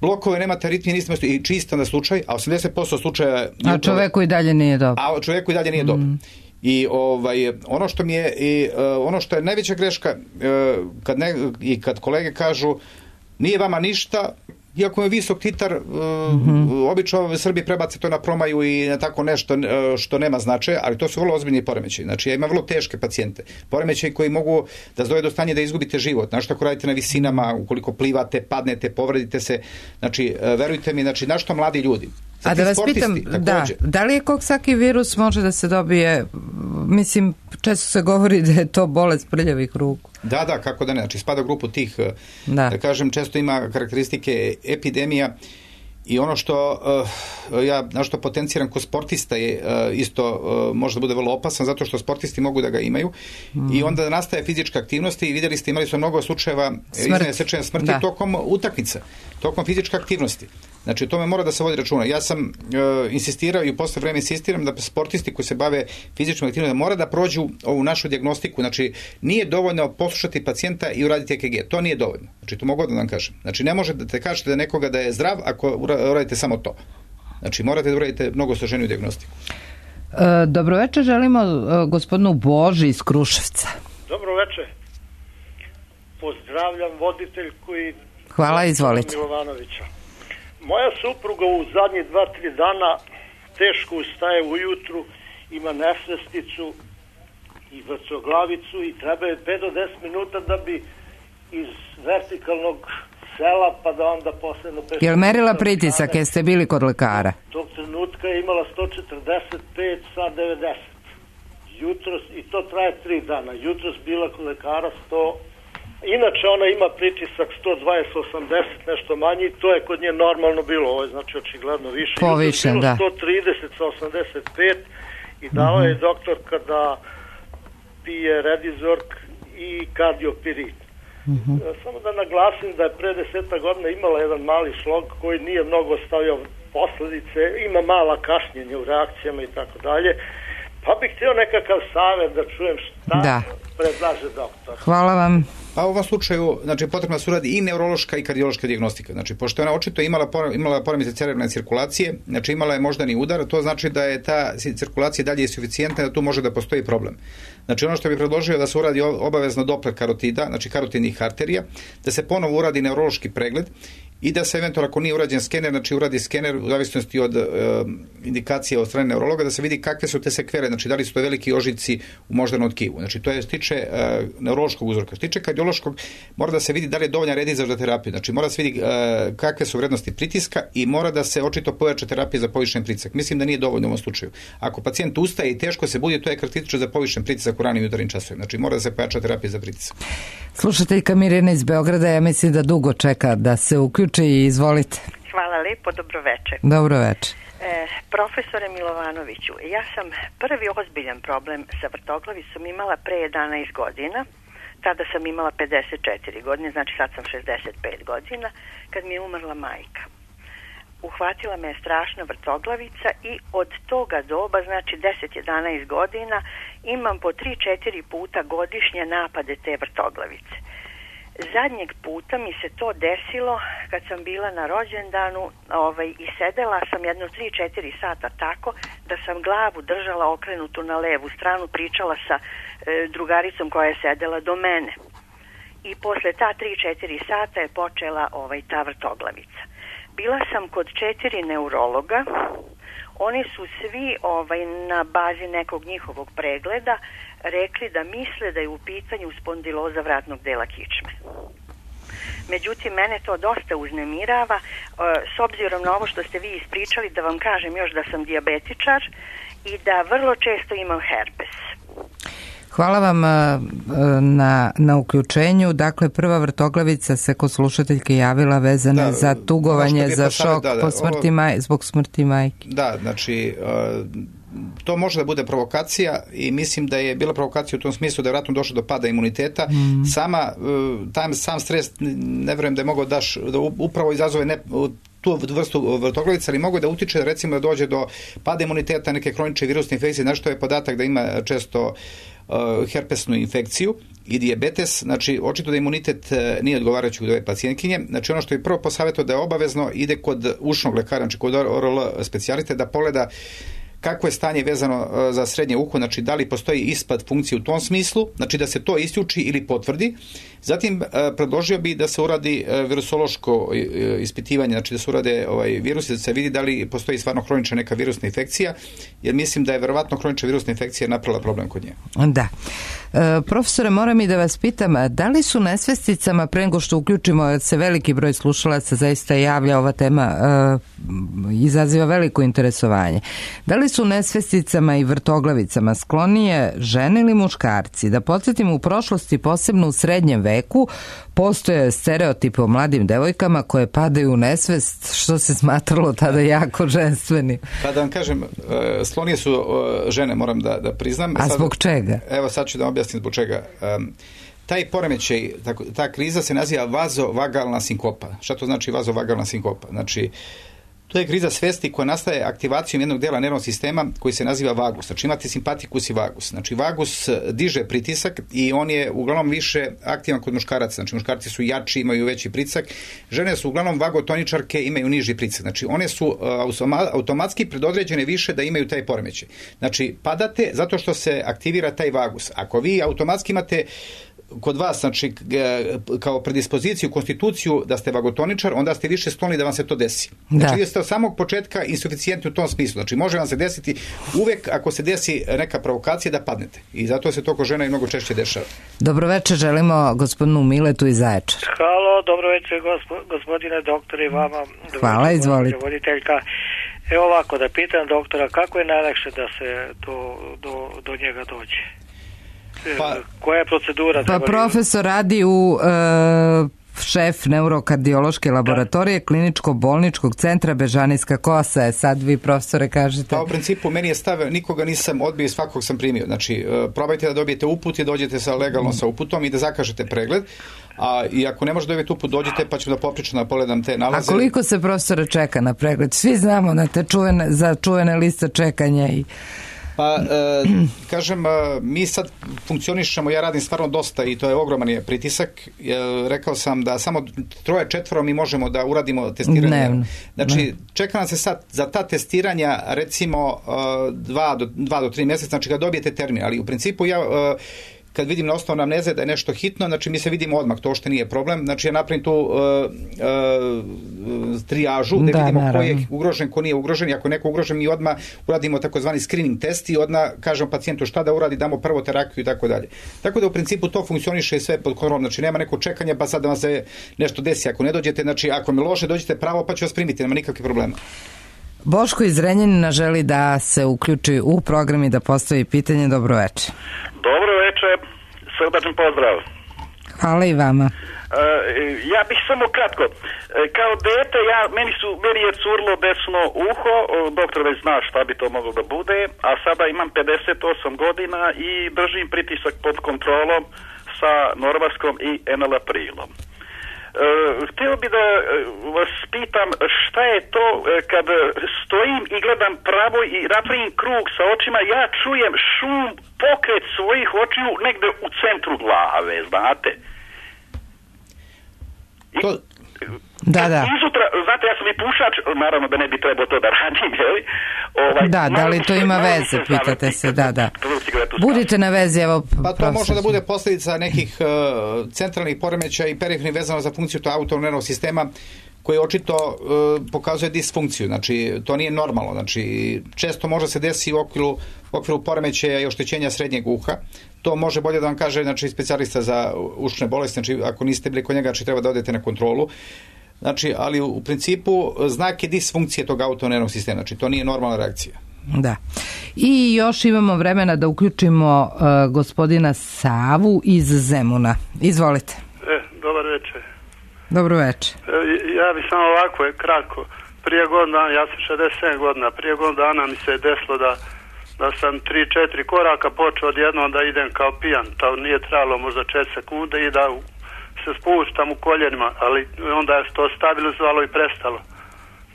blokove, nemate aritmije, niste moj slučaj. I čisto na slučaj, a osamdeset posto slučaja... A čoveku i dalje nije dobro. A čoveku i dalje nije mm. dobro. I ovaj, ono što mi je, i, uh, ono što je najveća greška, uh, kad ne, i kad kolege kažu nije vama ništa, iako je visok titar, mm-hmm. obično Srbi prebace to na promaju i na tako nešto što nema značaja, ali to su vrlo ozbiljni poremećaji. Znači, ja imam vrlo teške pacijente. Poremećaji koji mogu da dovedu do stanja da izgubite život. Znači, ako radite na visinama, ukoliko plivate, padnete, povredite se, znači, verujte mi, znači, našto mladi ljudi. A da vas pitam, da, da li je Coxsackie virus može da se dobije, mislim, često se govori da je to bolest prljavih ruku. Da, da, kako da ne, znači spada u grupu tih, da, da kažem, često ima karakteristike epidemija i ono što uh, ja, na što potenciram kod sportista je uh, isto uh, možda bude vrlo opasan zato što sportisti mogu da ga imaju mm. i onda nastaje fizička aktivnost i vidjeli ste, imali su mnogo slučajeva iznenadne srčane smrti da. tokom utakmica, tokom fizičke aktivnosti. Znači, o tome mora da se vodi računa. Ja sam uh, insistirao i u posle vreme insistiram da sportisti koji se bave fizičkom aktivnostima mora da prođu ovu našu dijagnostiku. Znači, nije dovoljno poslušati pacijenta i uraditi E K G. To nije dovoljno. Znači, to mogu da vam kažem. Znači, ne možete da te kažete da nekoga da je zdrav ako uradite samo to. Znači, morate da uradite mnogo složeniju dijagnostiku. E, dobro večer, želimo e, gospodinu Boži iz Kruševca. Dobro večer. Pozdravljam voditeljku i hvala, izvolite. Milovanovića. Moja supruga u zadnjih dva, tri dana teško ustaje ujutru, ima nesvesticu i vrcoglavicu i treba je pet do deset minuta da bi iz vertikalnog sela pa da onda posle... Je li merila pritisak, jeste bili kod lekara? Tog trenutka je imala sto četrdeset pet sa devedeset. Jutros, i to traje tri dana. Jutros bila kod lekara sto... Inače ona ima pritisak sto dvadeset osamdeset, nešto manji, to je kod nje normalno bilo, ovo je znači očigledno više. Povišen, da. sto trideset sa osamdeset pet i dao mm-hmm. je doktor kada pije Redizork i kardiopirit. Uh-huh. Samo da naglasim da je pre deseta godina imala jedan mali šlog koji nije mnogo stavio posledice, ima mala kašnjenja u reakcijama i tako dalje. Pa bih htio nekakav savjet da čujem šta da. predlaže doktor. Hvala vam. Pa u ovom slučaju, znači, potrebna su radi i neurološka i kardiološka dijagnostika. Znači, pošto je ona očito imala, imala poremećaj cerebralne cirkulacije, znači imala je moždani udar, to znači da je ta cirkulacija dalje suficijentna, da tu može da postoji problem. Znači, ono što bih predložio da se uradi obavezno Doppler karotida, znači karotidnih arterija, da se ponovo uradi neurološki pregled i da se eventualno, ako nije urađen skener, znači uradi skener u zavisnosti od e, indikacije od strane neurologa, da se vidi kakve su te sekvere, znači da li su to veliki ožiljci u moždanom tkivu. Znači to je stiče e, neurološkog uzroka. Stiče kardiološkog, mora da se vidi da li je dovoljan redizaž za terapiju. Znači mora da se vidi e, kakve su vrednosti pritiska i mora da se očito pojača terapija za povišen pritisak. Mislim da nije dovoljno u ovom slučaju. Ako pacijent ustaje i teško se budi, to je karakteristično za povišen pritisak u ranim jutarnjim časovima. Znači mora da se pojača terapija za pritisak. Slušateljka Mirjana iz Beograda, ja mislim da dugo čeka da se uključi i izvolite. Hvala lepo, dobro večer. Dobro večer. E, profesore Milovanoviću, ja sam prvi ozbiljan problem sa vrtoglavicom imala pre jedanaest godina. Tada sam imala pedeset četiri godine, znači sad sam šezdeset pet godina, kad mi je umrla majka. Uhvatila me je strašna vrtoglavica i od toga doba, znači deset jedanaest godina, imam po tri četiri puta godišnje napade te vrtoglavice. Zadnjeg puta mi se to desilo kad sam bila na rođendanu ovaj, i sedela sam jedno tri četiri sata tako da sam glavu držala okrenutu na levu stranu, pričala sa e, drugaricom koja je sedela do mene. I posle ta tri četiri sata je počela ovaj, ta vrtoglavica. Bila sam kod četiri neurologa, oni su svi ovaj, na bazi nekog njihovog pregleda rekli da misle da je u pitanju spondiloza vratnog dela kičme. Međutim, mene to dosta uznemirava, s obzirom na ovo što ste vi ispričali, da vam kažem još da sam dijabetičar i da vrlo često imam herpes. Hvala vam na, na uključenju. Dakle, prva vrtoglavica se kod slušateljke javila vezana da, za tugovanje, za šok da, da, po smrti ovo, maj, zbog smrti majke. Da, znači, uh, to može da bude provokacija i mislim da je bila provokacija u tom smislu da je vratno došlo do pada imuniteta. Mm. Sama, uh, tam, sam stres, ne vjerujem da je mogao daš, da upravo izazove ne, tu vrstu vrtoglavica, ali mogu da utiče recimo da dođe do pada imuniteta, neke hronične virusne infekcije, znači to je podatak da ima često uh, herpesnu infekciju i dijabetes, znači očito da imunitet uh, nije odgovarajući kod ove pacijentkinje. Znači ono što je prvo posavjetao da je obavezno ide kod ušnog lekara, znači kod O R L specijaliste, da pogleda kako je stanje vezano za srednje uho, znači da li postoji ispad funkcije u tom smislu, znači da se to isključi ili potvrdi. Zatim predložio bi da se uradi virusološko ispitivanje, znači da se urade ovaj, virusi, da se vidi da li postoji stvarno hronična neka virusna infekcija, jer mislim da je verovatno hronična virusna infekcija napravila problem kod nje. Da. E, profesore, moram i da vas pitam, da li su nesvesticama, pre nego što uključimo, se veliki broj slušalaca zaista javlja, ova tema e, izaziva veliko interesovanje, da li su nesvesticama i vrtoglavicama sklonije žene ili muškarci? Da podsjetim, u prošlosti, posebno u srednjem veku, postoje stereotipe o mladim devojkama koje padaju u nesvest, što se smatralo tada jako ženstveni. Pa da vam kažem, sklonije su žene, moram da, da priznam. A zbog sad, čega? Evo sad ću da vam objasnim zbog čega. Um, taj poremećaj, ta, ta kriza se naziva vazovagalna sinkopa. Šta to znači vazovagalna sinkopa? Znači, to je kriza svesti koja nastaje aktivacijom jednog dela nervnog sistema koji se naziva vagus. Znači imate simpatikus i vagus. Znači vagus diže pritisak i on je uglavnom više aktivan kod muškaraca. Znači muškarci su jači, imaju veći pritisak. Žene su uglavnom vagotoničarke, imaju niži pritisak. Znači one su automatski predodređene više da imaju taj poremećaj. Znači padate zato što se aktivira taj vagus. Ako vi automatski imate kod vas, znači, kao predispoziciju, konstituciju da ste vagotoničar, onda ste više skloni da vam se to desi. Znači, vi ste od samog početka insuficijentni u tom smislu. Znači, može vam se desiti uvek ako se desi neka provokacija da padnete. I zato se to kod žena i mnogo češće dešava. Dobro večer, želimo gospodinu Miletu iz Zaječara. Halo, dobro večer gospo, gospodine doktore i vama. Hvala, izvolite. Voditeljka. Evo ovako, da pitam doktora, kako je najlakše da se do, do, do njega dođe? Pa, koja je procedura? Pa profesor radi u e, šef neurokardiološke laboratorije kliničko-bolničkog centra Bežanijska Kosa. Sad vi, profesore, kažete... Pa u principu meni je stav, nikoga nisam odbio, svakog sam primio. Znači, probajte da dobijete uput i dođete sa legalno sa uputom i da zakažete pregled. A i ako ne možete dobiti uput, dođite pa ću da poprično da pogledam te nalaze. A koliko se, profesore, čeka na pregled? Svi znamo na te čuvene, za čuvene liste čekanja i... Pa, e, kažem, mi sad funkcionišemo, ja radim stvarno dosta i to je ogroman je pritisak. E, rekao sam da samo troje, četvoro mi možemo da uradimo testiranje. Dnevno. Znači, ne. čeka nam se sad za ta testiranja recimo dva do, dva do tri mjeseca, znači kad dobijete termin, ali u principu ja... E, kad vidim na osnovu amneze da je nešto hitno, znači mi se vidimo odmah, to što nije problem. Znači ja napravim tu uh, uh, trijažu, da, da vidimo naravno. Ko je ugrožen, ko nije ugrožen. I ako je neko ugrožen, mi odmah uradimo takozvani screening test i odmah kažemo pacijentu šta da uradi, damo prvo terapiju i tako dalje. Tako da u principu to funkcioniše sve pod kontrolom. Znači nema neko čekanja pa sad da vam se nešto desi. Ako ne dođete, znači ako mi loše, dođete pravo pa ću vas primiti, nema nikakvih problema. Boško iz Zrenjanina želi da se uključi u program i da postavi pitanje. Dobro večer. Dobro večer, srdačan pozdrav. Hvala i vama. Uh, ja bih samo kratko. Uh, kao dete, ja, meni, su, meni je curlo desno uho, uh, doktor već zna šta bi to moglo da bude, a sada imam pedeset osam godina i držim pritisak pod kontrolom sa Norvaskom i enalaprilom. Uh, htio bi da uh, vas pitam šta je to uh, kad stojim i gledam pravo i napravim krug sa očima, ja čujem šum, pokret svojih očiju negde u centru glave, znate? I, to... Da, da. Izutra, znate, ja sam i pušač, naravno da ne bi trebao to da radim, jel? Ovaj, da, da li to ima veze, pitate se, da, da. Budite na vezi, evo... Pa to može da bude posljedica nekih uh, centralnih poremećaja i perifernih vezano za funkciju to autonomnog nervnog sistema koji očito uh, pokazuje disfunkciju, znači to nije normalno, znači često može se desiti u okviru, u okviru poremećaja i oštećenja srednjeg uha. To može bolje da vam kaže, znači, specijalista za ušne bolesti, znači ako niste bili kod njega, znači treba da odete na kontrolu. Znači, ali u principu znak je disfunkcije tog autonomnog sistema, znači to nije normalna reakcija. Da. I još imamo vremena da uključimo uh, gospodina Savu iz Zemuna. Izvolite. E, dobar večer. Dobro večer. E, ja bih samo ovako je kratko. Prije godina, ja sam šezdeset sedam godina, prije godina dana mi se je desilo da, da sam tri četiri koraka počeo odjednom da idem kao pijan. To nije trebalo možda četiri sekunde i da se spuštam u koljenima, ali onda je to stabilizovalo i prestalo.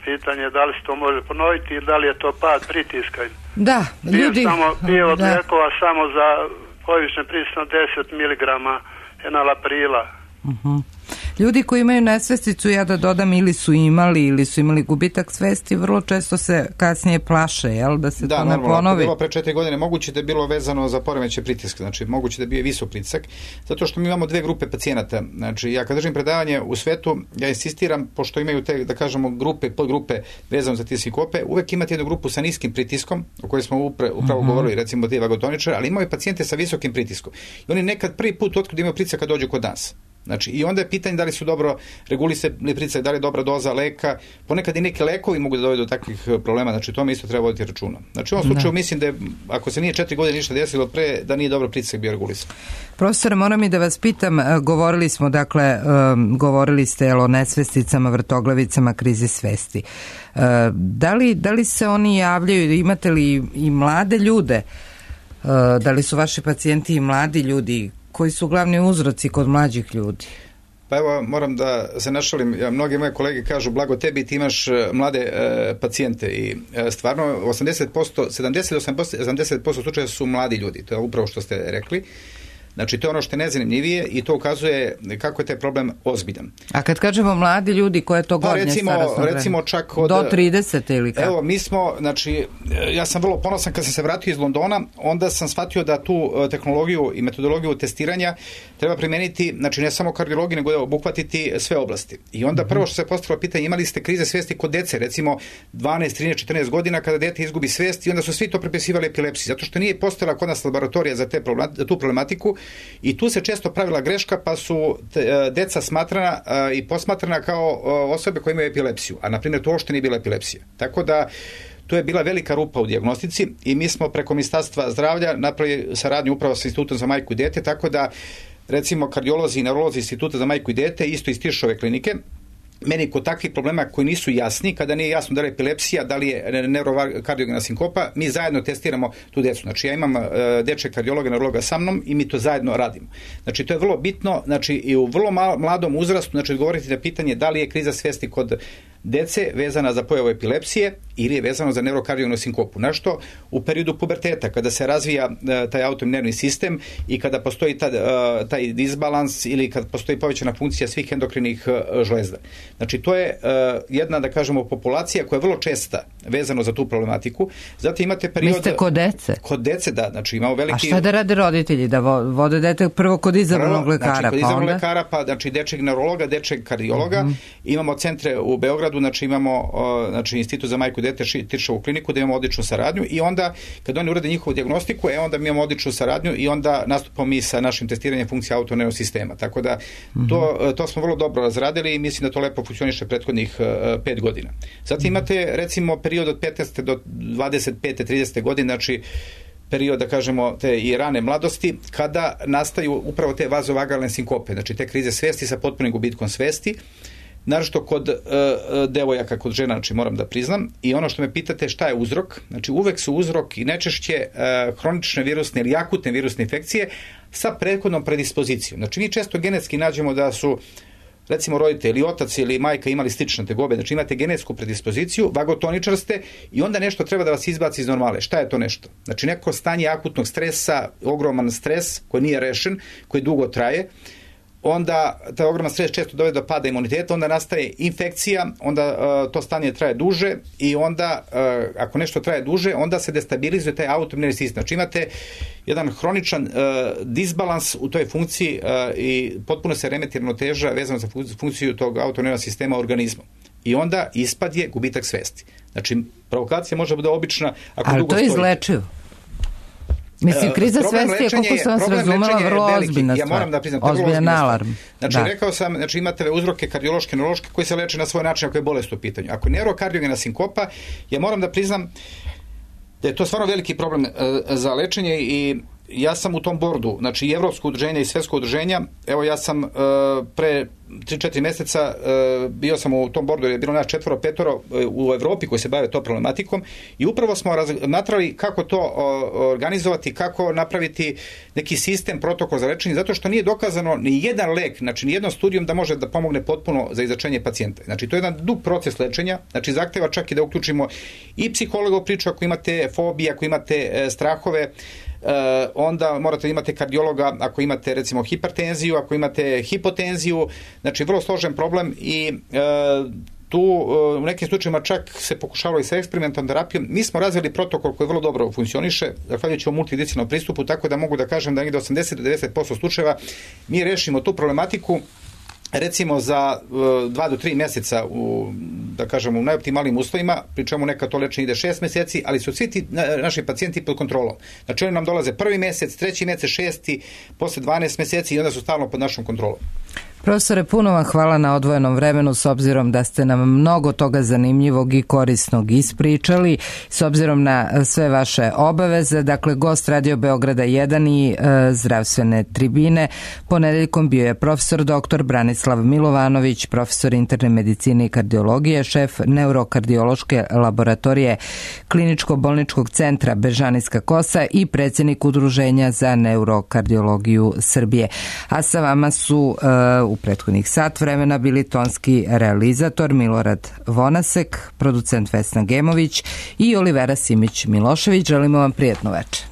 Pitanje je da li se to može ponoviti ili da li je to pad pritiska. Da, ljudi... Samo, bio od lijekova samo za povišen pritisak deset miligrama enalaprila. Uh-huh. Ljudi koji imaju nesvesticu, ja da dodam, ili su imali ili su imali gubitak svesti, vrlo često se kasnije plaše, jel, da se da, to ne normalno, ponovi. Da, bilo pre četiri godine, moguće da je bilo vezano za poremećaj pritiska, znači moguće da je bio visok pritisak, zato što mi imamo dve grupe pacijenata. Znači, ja kad držim predavanje u svetu, ja insistiram, pošto imaju te, da kažemo, grupe, podgrupe vezano za te sinkope, uvek imate jednu grupu sa niskim pritiskom, o kojoj smo upre, upravo uh-huh. govorili, recimo te vagotoničare, ali imaju pacijente sa visokim pritiskom. I oni nekad prvi put otkud imaju pritisak kad dođu kod nas. Znači, i onda je pitanje da li su dobro regulisani pritisak, da li je dobra doza leka. Ponekad i neki lekovi mogu da dovedu do takvih problema, znači to mi isto treba voditi računa. Znači, u ovom slučaju da. Mislim da je, ako se nije četiri godine ništa desilo pre, da nije dobro pritisak bio regulisan. Profesore, moram i da vas pitam, govorili smo, dakle, um, govorili ste o nesvesticama, vrtoglavicama, krizi svesti. Uh, da li, da li se oni javljaju, imate li i mlade ljude, uh, da li su vaši pacijenti i mladi ljudi, koji su glavni uzroci kod mlađih ljudi? Pa evo, moram da se našalim, ja, mnogi moje kolege kažu blago tebi, ti imaš mlade e, pacijente i e, stvarno osamdeset posto, sedamdeset do osamdeset posto slučaja su mladi ljudi, to je upravo što ste rekli. Znači, to je ono što je najzanimljivije i to ukazuje kako je taj problem ozbiljan. A kad kažemo mladi ljudi, koje je to gornje pa recimo, starosno vreme? Recimo čak od... Do trideset ili kako? Evo, mi smo, znači, ja sam vrlo ponosan kad sam se vratio iz Londona, onda sam shvatio da tu tehnologiju i metodologiju testiranja treba primeniti, znači ne samo kardiologiju, nego da obuhvatiti sve oblasti. I onda prvo što se postavilo pitanje, imali ste krize svesti kod dece, recimo dvanaest, trinaest, četrnaest godina kada dete izgubi svest i onda su svi to pripisivali epilepsiji, zato što nije postojala kod nas laboratorija za te problem, tu problematiku. I tu se često pravila greška, pa su te, deca smatrana a, i posmatrana kao a, osobe koje imaju epilepsiju, a na primjer to uopšte nije bila epilepsija. Tako da tu je bila velika rupa u dijagnostici i mi smo preko Ministarstva zdravlja napravili saradnju upravo sa Institutom za majku i dete, tako da recimo kardiolozi i neurolozi Instituta za majku i dete, isto iz Tiršove klinike, meni kod takvih problema koji nisu jasni, kada nije jasno da li je epilepsija, da li je neurokardiogena sinkopa, mi zajedno testiramo tu decu. Znači ja imam uh, dečeg kardiologa, neurologa sa mnom i mi to zajedno radimo. Znači to je vrlo bitno, znači i u vrlo mladom uzrastu, znači odgovoriti na pitanje da li je kriza svesti kod dece vezana za pojavu epilepsije ili je vezano za neurokardiogenu sinkopu. Nešto u periodu puberteta, kada se razvija uh, taj autoimunervni sistem i kada postoji ta, uh, taj disbalans ili kada postoji povećana funkcija svih endokrinih uh, žlezda. Znači to je uh, jedna, da kažemo, populacija koja je vrlo česta vezano za tu problematiku. Zatim imate period... Mislite kod dece? Kod dece, da. Znači imamo veliki... A šta da rade roditelji? Da vode dete prvo kod izabranog lekara, znači, kod pa izabranog onda? lekara, pa znači dečeg neurologa, dečeg kardiologa. Mm-hmm. Imamo centre u Beogradu, znači imamo uh, znači, Institut za majku i dete, Tiršovu kliniku, da imamo odličnu saradnju i onda kad oni urade njihovu dijagnostiku, e onda mi imamo odličnu saradnju i onda nastupamo mi sa našim testiranjem funkcija autoimunervnog sistema. Tako da mm-hmm. to, to smo vrlo dobro razradili i mislim da to lepo funkcioniše prethodnih uh, pet godina. Zatim imate recimo period od petnaeste do dvadeset pete tridesete godine, znači period, da kažemo, te i rane mladosti, kada nastaju upravo te vazovagalne sinkope, znači te krize svesti sa potpunim gubitkom svesti, naročito kod uh, devojaka, kod žena, znači moram da priznam. I ono što me pitate šta je uzrok, znači uvek su uzrok i najčešće uh, hronične virusne ili akutne virusne infekcije sa prethodnom predispozicijom. Znači mi često genetski nađemo da su recimo roditelj ili otac ili majka imali slične tegobe, znači imate genetsku predispoziciju, vagotoničar ste i onda nešto treba da vas izbaci iz normale. Šta je to nešto? Znači neko stanje akutnog stresa, ogroman stres koji nije rešen, koji dugo traje, onda taj ogroman stres često dovede do pada imuniteta, onda nastaje infekcija, onda uh, to stanje traje duže i onda uh, ako nešto traje duže, onda se destabilizuje taj autoimunerni sistem. Znači imate jedan hroničan uh, disbalans u toj funkciji uh, i potpuno se remeti ravnoteža vezano za funkciju tog autoimunernog sistema organizma. I onda ispad je gubitak svesti. Znači provokacija može biti obična ako ali dugo to je stojite. izlečivo. Mislim, kriza svesti je, koliko sam vas razumela, vrlo ozbiljna stvar. Ja moram da priznam, to je vrlo ozbiljan alarm. Znači, da. rekao sam, znači imate uzroke kardiološke, neurološke koji se leče na svoj način ako je bolest u pitanju. Ako je neurokardiogena sinkopa, ja moram da priznam da je to stvarno veliki problem uh, za lečenje i ja sam u tom bordu, znači i Evropsko udruženje i Svetsko udruženja, evo ja sam uh, pre tri četiri meseca uh, bio sam u tom bordu, je bilo nas četvoro, petoro uh, u Evropi koji se bave to problematikom i upravo smo razmatrali kako to uh, organizovati, kako napraviti neki sistem, protokol za lečenje, zato što nije dokazano ni jedan lek, znači ni jednom studijom da može da pomogne potpuno za izlečenje pacijenta. Znači to je jedan dug proces lečenja, znači zahteva čak i da uključimo i psihologa u priču ako imate fobije, ako imate uh, strahove, Uh, onda morate imate kardiologa ako imate recimo hipertenziju, ako imate hipotenziju, znači vrlo složen problem i uh, tu uh, u nekim slučajima čak se pokušavalo i sa eksperimentalnom terapijom. Mi smo razvili protokol koji vrlo dobro funkcioniše, zahvaljujući o multidisciplinarnom pristupu, tako da mogu da kažem da negde osamdeset do devedeset posto slučajeva mi rešimo tu problematiku recimo za uh, dva do tri meseca u, da kažemo, u najoptimalnim uslovima, pri čemu neka to lečenje ide šest meseci, ali su svi ti na, naši pacijenti pod kontrolom. Znači oni nam dolaze prvi mesec, treći mesec, šesti, posle dvanaest meseci i onda su stalno pod našom kontrolom. Profesore, puno vam hvala na odvojenom vremenu, s obzirom da ste nam mnogo toga zanimljivog i korisnog ispričali, s obzirom na sve vaše obaveze. Dakle, gost Radio Beograda jedan i e, zdravstvene tribine. Ponedeljkom bio je profesor doktor Branislav Milovanović, profesor interne medicine i kardiologije, šef neurokardiološke laboratorije Kliničko-bolničkog centra Bežanijska kosa i predsjednik Udruženja za neurokardiologiju Srbije. A sa vama su e, u prethodnih sat vremena bili tonski realizator Milorad Vonasek, producent Vesna Gemović i Olivera Simić-Milošević. Želimo vam prijatno večer.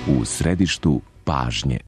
u središtu pažnje.